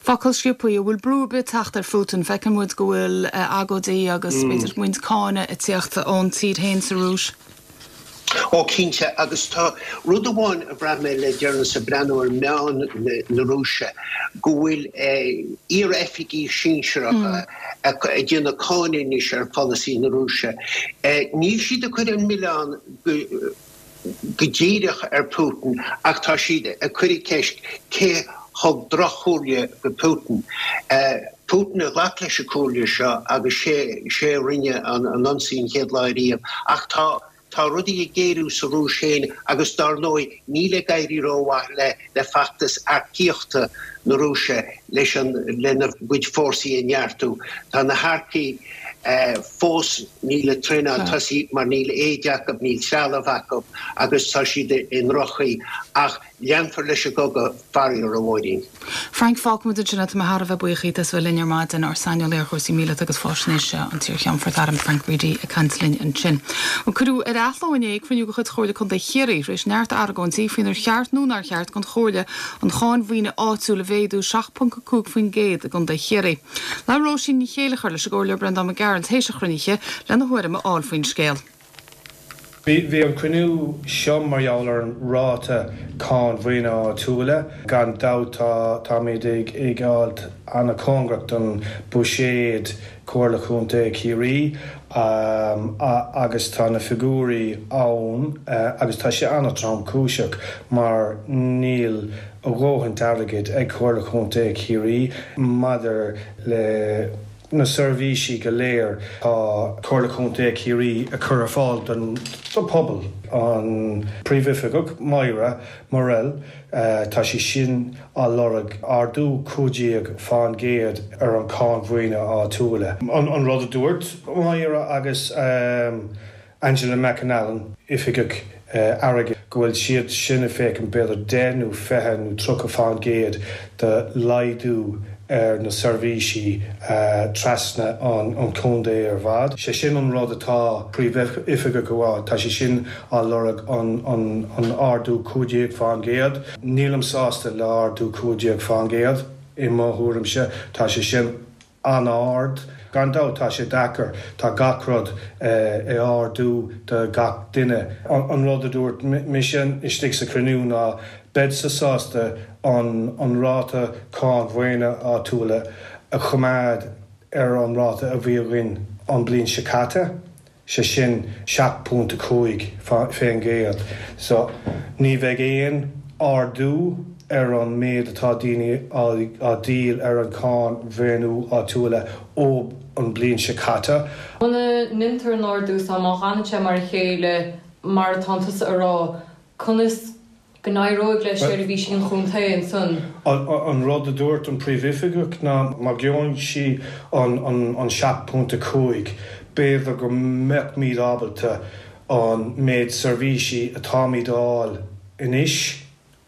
Focal sciobtha, an bhfuil brú ar bith ag teacht ar Phutin? Feiceann muid go bhfuil agóidí agus b'fhéidir roinnt cáineadh ag tíocht ón tír féin sa Rúis. Ó cinnte, agus tá rud amháin a bhraith mé le deireanas ag breathnú ar meáin na Rúise, go bhfuil iar-oifigigh sinsearacha ag déanamh cáineadh anois ar pholasaí na Rúise. Níl siad ag cur an milleán go díreach ar Putin ach tá siad ag cur an cheist cé thug droch-chomhairle go Putin. Putin a ghlac leis an comhairle seo agus sé a rinne an ionsaí an chéad lá ariamh ach tá Tá rudaí ag géarú sa Rúis féin agus dar ndóigh níl ag éirí rómhaith le le feachtas earcaíochta na Rúise leis an lena gcuid fórsaí a neartú. Tá na hearcaigh fós níl an traenáil tosaithe mar níl éide acu, níl trealamh acu agus tá siad i ndroch-chaoi ach leanfar leis an gcogadh, faraor, a Mháirín. Frank, fágfaimid ansin é, tá mé thar a bheith buíoch díot as bheith linn ar maidin, ár saineolaí ar chúrsaí míleata agus faisnéise, an t-iarCheannfort Airm Frank Reidy ag caint linn ansin. Cuireadh ar athló inné cruinniú de chuid Chomhairle Contae Chiarraí tar éis neart argóintí faoinar cheart nó nár cheart don Chomhairle an cháin mhaoine áitiúil a mhéadú seacht ponc a cúig faoin gcéad i gContae Chiarraí. Labhair Róisín Ní Chéilleachair leis an gComhairleoir Breandán Mac Gearailt théis an chruinnithe lena thuairim a fháil faoin scéal. Bhí an cruinniú seo mar gheall ar an ráta cáin mhaoine áitiúla. Gan dabht táimid ag fháilt an-chóngarach don buiséad Comhairle Chontae Chiarraí agus tá na figiúirí ann agus tá sé an-tromchúiseach mar níl a dhóthaint airgid ag Comhairle Chontae Chiarraí maidir le na seirbhísí go léir tá Comhairle Chontae Chiarraí a chur ar fáil don phobal. An Príomhoifigeach Moira Murrell, tá sí sin á lorg ardú cúig déag fán gcéad ar an cháin mhaoine áitiúla. An rud a dúirt Moira agus Angela McAnallen, Oifigeach Airgid, go bhfuil siad sin ag féachaint b'fhéidir deich nó fiche nó tríocha fán gcéad de laghdú ar na seirbhísí trasna an chontae ar fad. Sé sin an rud atá Príomhoifigeach a rá, tá sé sin á lorg an ardú cúig déag fán gcéad. Nílim sásta le ardú cúig déag fán gcéad, i mo thuairimse tá sé sin an-ard. Gan dabht tá sé deacair, tá gach rud ag ardú do gach duine. An rud a dúirt mise istigh sa chruinniú ná beidsa sásta an ráta cáin mhaoine áitiúla a choimeád ar an ráta a bhí againn an bliain seo caite, sé sin seacht bpointe a cúig fén gcéad. So ní bheidh aon ardú ar an méid atá daoine á dhíol ar an cháin mhaoiniú áitiúla ó an bliain seo caite. Muna ndéantar an ardú so má fhanann sé mar a chéile mar atá tusa a rá, conas go n-éireoidh le seirbhísí an chontae ansan? An rud a dúirt an Príomhoifigeach ná má gheobhann sí an seacht pointe cúig, b'fhéidir go mbeimid ábalta an méid seirbhísí atáimid a fháil anois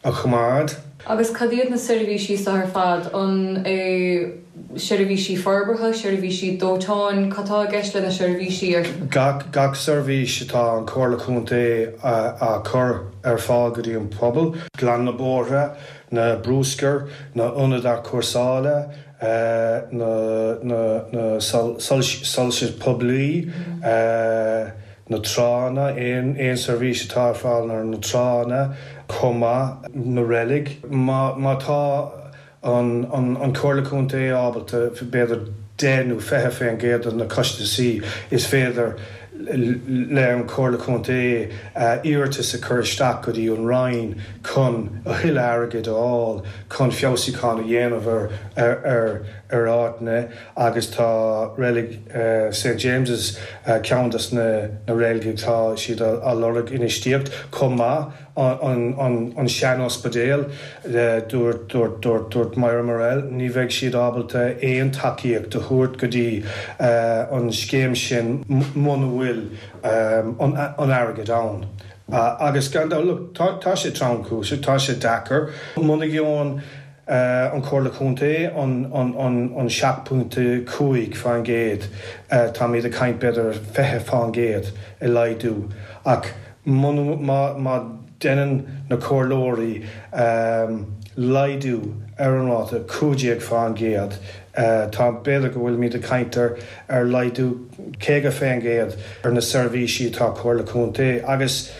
a choimeád. Agus cad iad na seirbhísí seo ar fad? An é seirbhísí forbartha, seirbhísí dóiteáin, cad tá i gceist le na seirbhísí ar. Gach gach seirbhís atá an Chomhairle Contae á cur ar fáil go dtí an pobal, glanadh na bóithre, na bruscar, na ionaid athchúrsála, na na na soilse poiblí, na tránna, aon aon seirbhís atá ar fáil ar na tránna chomh maith, na reilig. Má má tá an an an Chomhairle Contae ábalta b'fhéidir deich nó fiche fén gcéad de na costasaí is féidir le an Chomhairle Contae iarratas a chur isteach go dtí an Roinn chun a thuilleadh airgid a fháil chun feabhsúchán a dhéanamh ar ar ar ar áiteanna agus tá reilig Saint James's ceann des na na reiligí tá siad á lorg infheistíocht chomh maith an an an sean-ospidéal dúirt dúirt dúirt dúirt Moira Murrell ní bheidh siad ábalta aon tacaíocht a thabhairt go dtí an scéim sin muna bhfuil an an airgead ann. Agus gan dabht look tá tá sé tromchúiseach tá sé deacair muna gheobhann an Chomhairle Contae an an an an seacht pointe cúig fán gcéad táimid ag caint b'fhéidir fiche fán gcéad i laghdú ach muna má má Déanann na comhairleoirí laghdú ar an ráta cúig déag fán gcéad. Tá, b'fhéidir go bhfuilimid ag caint ar ar laghdú caoga fén gcéad ar na seirbhísí atá Comhairle Contae agus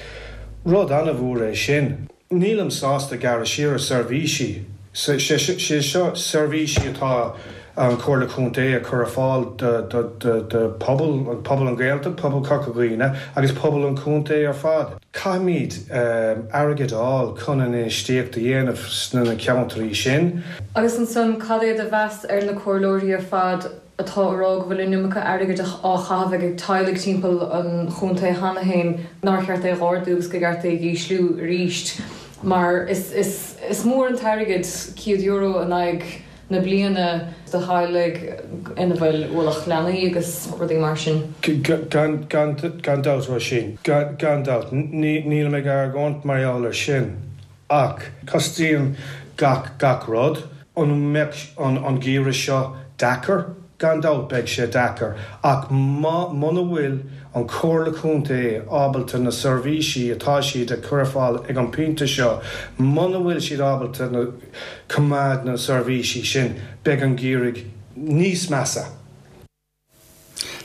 rud an-mhór é sin. Nílim sásta gearradh siar ar seirbhísí. Sé seo seirbhísí atá an Chomhairle Contae a chur ar fáil do pobal, pobal an Ghaeltacht, pobal Chorca Dhuibhne agus pobal an chontae ar fad. Caithfimid airgead a fháil chun an infheistíocht a dhéanamh sna ceantraí sin. Agus ansan, cad é do mheas ar na comhairleoirí ar fad atá ag rá go bhfuil an iomarca airgid á chaitheamh ag teaghlaigh timpeall an chontae cheana féin nár cheart é a ardú agus gur cheart é a ísliú arís mar is is is mór an t-airgead céad euro in aghaidh na bliana do theaghlaigh ina bhfuil ualach leanaí agus rudaí mar sin. Gan gan gan dabht Róisín, gan dabht nílim ag argóint mar gheall air sin ach costaíonn gach gach rud an mbeidh an an geimhreadh seo deacair gan dabht beidh sé deacair ach muna bhfuil an Chomhairle Contae ábalta na seirbhísí atá siad ag cur ar fáil ag an bpointe seo muna bhfuil siad ábalta na coimeád na seirbhísí sin beidh an geimhreadh níos measa.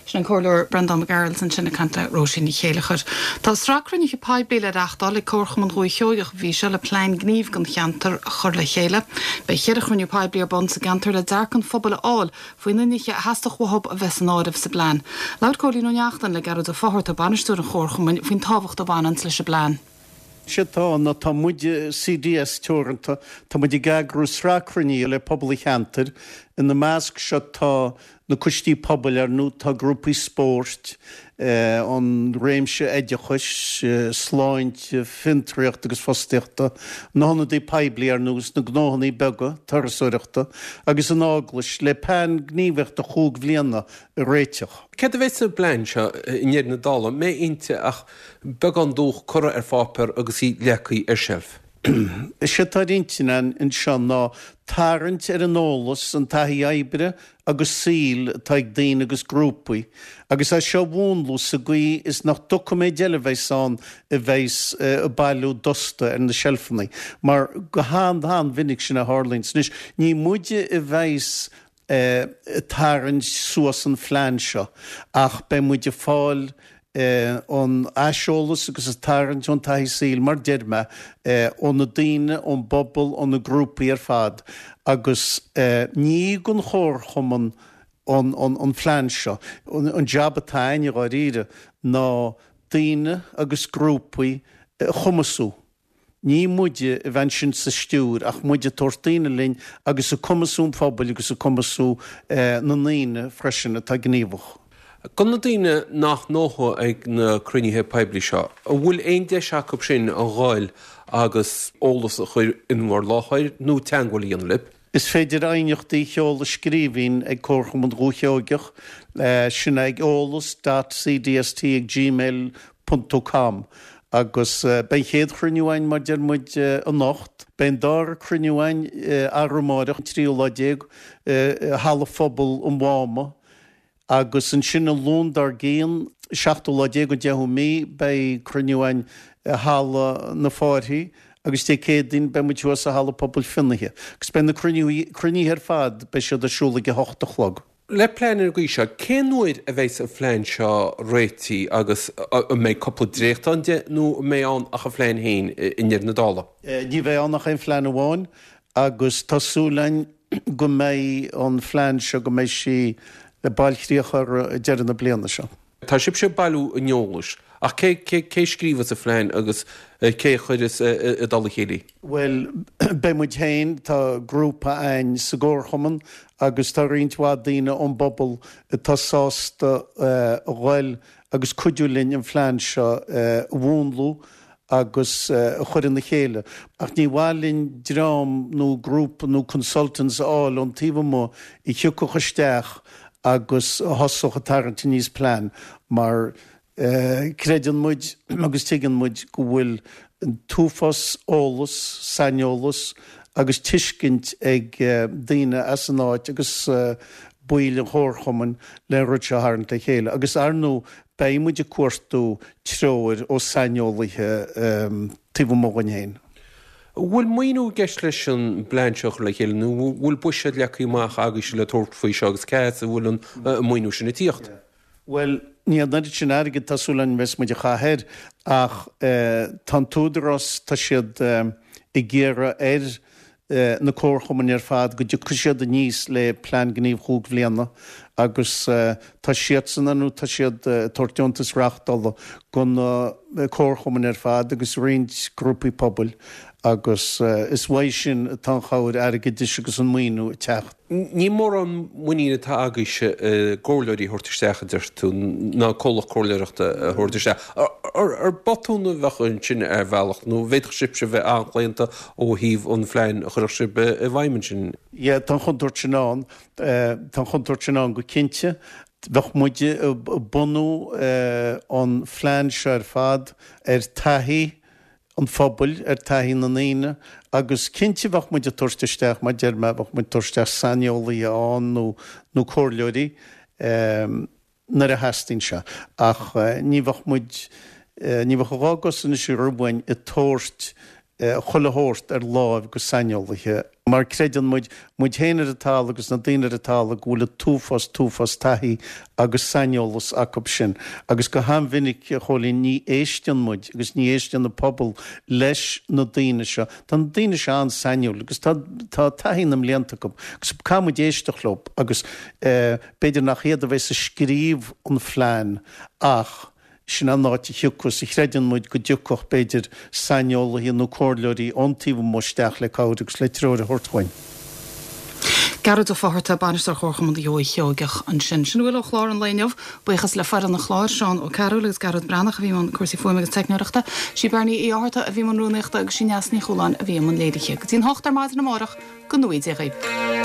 Sin an Comhairleoir Breandán Mac Gearailt ansin ag caint le Róisín Ní Chéilleachair. Tá sraith cruinnithe poiblí le reáchtáil ag Comharchumann Dhúiche Sheoigheach an mhí seo le plean gnímh don cheantar a chur le chéile. Beidh ceithre chruinniú poiblí ar bun sa gceantar le dearcadh an phobail a fháil faoi na nithe a theastódh uathu a bheith san áireamh sa bplean. Labhair Cóilín Ó Neachtain le Gearóid Ó Fátharta, bainisteoir an Chomharchumainn, faoin tábhacht a bhaineann leis an bplean. Sé tá ná tá muid C D S Teoranta, tá muid ag eagrú sraith cruinnithe le pobal an cheantair. Ina measc seo tá na coistí pobail ar ndóigh tá grúpaí spóirt, an réimse oideachais, sláinte, fiontraíocht agus fostaíochta, na hionadaithe poiblí ar nós na gnóthanna beaga, turasóireachta agus an eaglais le plean gníomhaíochta chúig bhliana a réiteach. Céard a bheidh sa bplean seo i ndeireadh na dála, an mbeidh inti ach beagán dúch curtha ar pháipéar agus í leagtha ar seilf? Is é atá ar intinn anseo ná tarraingt ar an eolas, an taithí oibre agus saoil atá ag daoine agus grúpaí, agus é seo a mhúnlú sa gcaoi is nach doiciméid eile a bheas ann a bheas ag bailiú dusta ar na seilfeanna, mar go han-an-mhinic sin a tharlaíonn. Anois, ní muide a bheas ag tarraingt suas an phlean seo ach beidh muid ag fáil an aiseolas agus ag tarraingt ón taithí saoil mar deir mé ó na daoine, ón bpobal, ó na grúpaí ar fad agus ní don chomharchumann an, an, an phlean seo. An jab atá againn i ndáiríre ná daoine agus grúpaí a chumasú. Ní muide a bheidh ansin sa stiúir ach muid ag tabhairt daoine linn agus ag cumasú an phobail agus ag cumasú na ndaoine freisin atá gníomhach. Do na daoine nach ndótha ag na cruinnithe poiblí seo, an bhfuil aon deis acu sin a ghoil agus eolas a chur in bhur láthair nó teagmháil a dhéanamh libh? Is féidir aighneachtaí a sheoladh i scríbhinn ag Comharchumann Dhúiche Sheoigeach, sin ag eolas dot cdst ag gmail ponc com agus beidh an chéad chruinniú againn mar deir muid anocht. Beidh an dara cruinniú againn arú amárach an tríú lá déag i Halla Phobail an Mháma agus ansin an Luan dár gcionn, seachtú lá déag an deichiú mí, beidh cruinniú againn i Halla na Fáirthí agus Dé Céadaoin beidh muid thuas i Halla Pobail Fionnaithe. Agus beidh na cruinnithe ar fad, beidh siad ar siúl ag a hocht a chlog. Le plean ar an gcaoi seo, cén uair a bheidh an phlean seo réitithe agus an mbeidh cúpla dréacht ann de nó an mbeidh ann ach an phlean féin i ndeireadh na dála? Ní bheidh ann ach aon phlean amháin agus tá súil againn go mbeidh an phlean seo, go mbeidh sí le bailchríoch ar deireadh na bliana seo. Tá sibhse ag bailiú an eolais ach cé cé cé scríobhas an phlean agus cé a chuireas i dtoll a chéile? Bhuel, beidh muid féin, tá grúpa againn sa gcomharchumann agus tá roinnt mhaith daoine ón bpobal atá sásta a ghoil agus cuidiú linn an phlean seo a mhúnlú agus a chur ina chéile. Ach ní mhaith linn dream nó grúpa nó consultants a fháil ón taobh amuigh a thiocfadh isteach agus a thosódh ag tarraingt aníos plean mar creideann muid agus tuigeann muid go bhfuil an t-uafás eolas, saineolas agus tuiscint ag daoine as an áit agus baill an chomharchumainn le an rud seo a tharraingt le chéile. Agus ar ndóigh beidh muid ag cuartú treoir ó saineolaithe taobh amuigh dhúinn féin. An bhfuil maoiniú i gceist leis an bplean seo a chur le chéile nó an bhfuil buiséad leagtha amach agaibhse le tabhairt faoi seo agus cá as a bhfuil an maoiniú sin ag tíocht? Bhuel, ní an oiread sin airgid tá súil againn a bheas muid a chaitheamh air ach tá an t-údarás, tá siad ag iarraidh ar na comharchumainn ar fad go dtiocfaidh siad aníos le plean gnímh chúig bhliana agus tá siadsan nó tá siad ag tabhairt deontas reáchtála do na comharchumainn ar fad agus roinnt grúpaí pobail agus is uaidh sin atá an chabhair airgeadais agus an maoiniú ag teacht. Ní mórán muinín atá agaibhse i gcomhairleoirí a thabhairt isteach, a deir tú, ná comhlacht comhairleoireachta a thabhairt isteach. Ar botún a bheadh ansin ar bhealach nó bhféadfadh sibhse bheith an-chlaonta ó thaobh an phlean a chuirfeadh sibh i bhfeidhm ansin? Yeah, tá an chontúirt sin ann. Tá an chontúirt sin ann go cinnte. Bheadh muid ag bunú an phlean seo ar fad ar taithí an phobail, ar taithí na ndaoine agus cinnte bheadh muid ag tabhairt isteach, mar a deir mé, bheadh muid ag tabhairt isteach saineolaithe ann nó nó comhairleoirí nuair a theastaíonn sé ach ní bheadh muid, ní bheadh a dhá gcos anois romhainn ag tabhairt chuile shórt ar láimh go saineolaithe, mar creideann muid, muid féin ar an talamh agus na daoine ar an talamh, go bhfuil an t-uafás, t-uafás taithí agus saineolas acu sin. Agus go han-mhinic, a Chóilín, ní éisteann muid agus ní éisteann an pobal leis na daoine seo. Tá na daoine seo an-sainiúil agus tá, tá taithí na mblianta acu agus caithfidh muid éisteacht leo agus b'fhéidir nach iad a bheas ag scríobh an phlean ach, Sin an áit a thiocfas, a chreideann muid go dtiocfadh, b'fhéidir, saineolaithe nó comhairleoirí ón taobh amuigh isteach le cabhair agus le treoir a thabhairt dhuinn. Gearóid Ó Fátharta, Bainisteoir Chomharchumann Dhúiche Sheoigeach ansin. Sin a bhfuil ó chlár an lae inniu. Buíochas le foireann an chláir, Seán Ó Cearúil agus Gearóid Breathnach a bhí i mbun cúrsaí fuaime agus teicneoireachta, sí Beirní Uí Fhátharta a bhí i mbun rúnaíochta agus sí Neasa Ní Chualáin a bhí i mbun léirithe. Go dtí an hocht ar maidin amárach, go ngnóthaí Dia dhaoibh.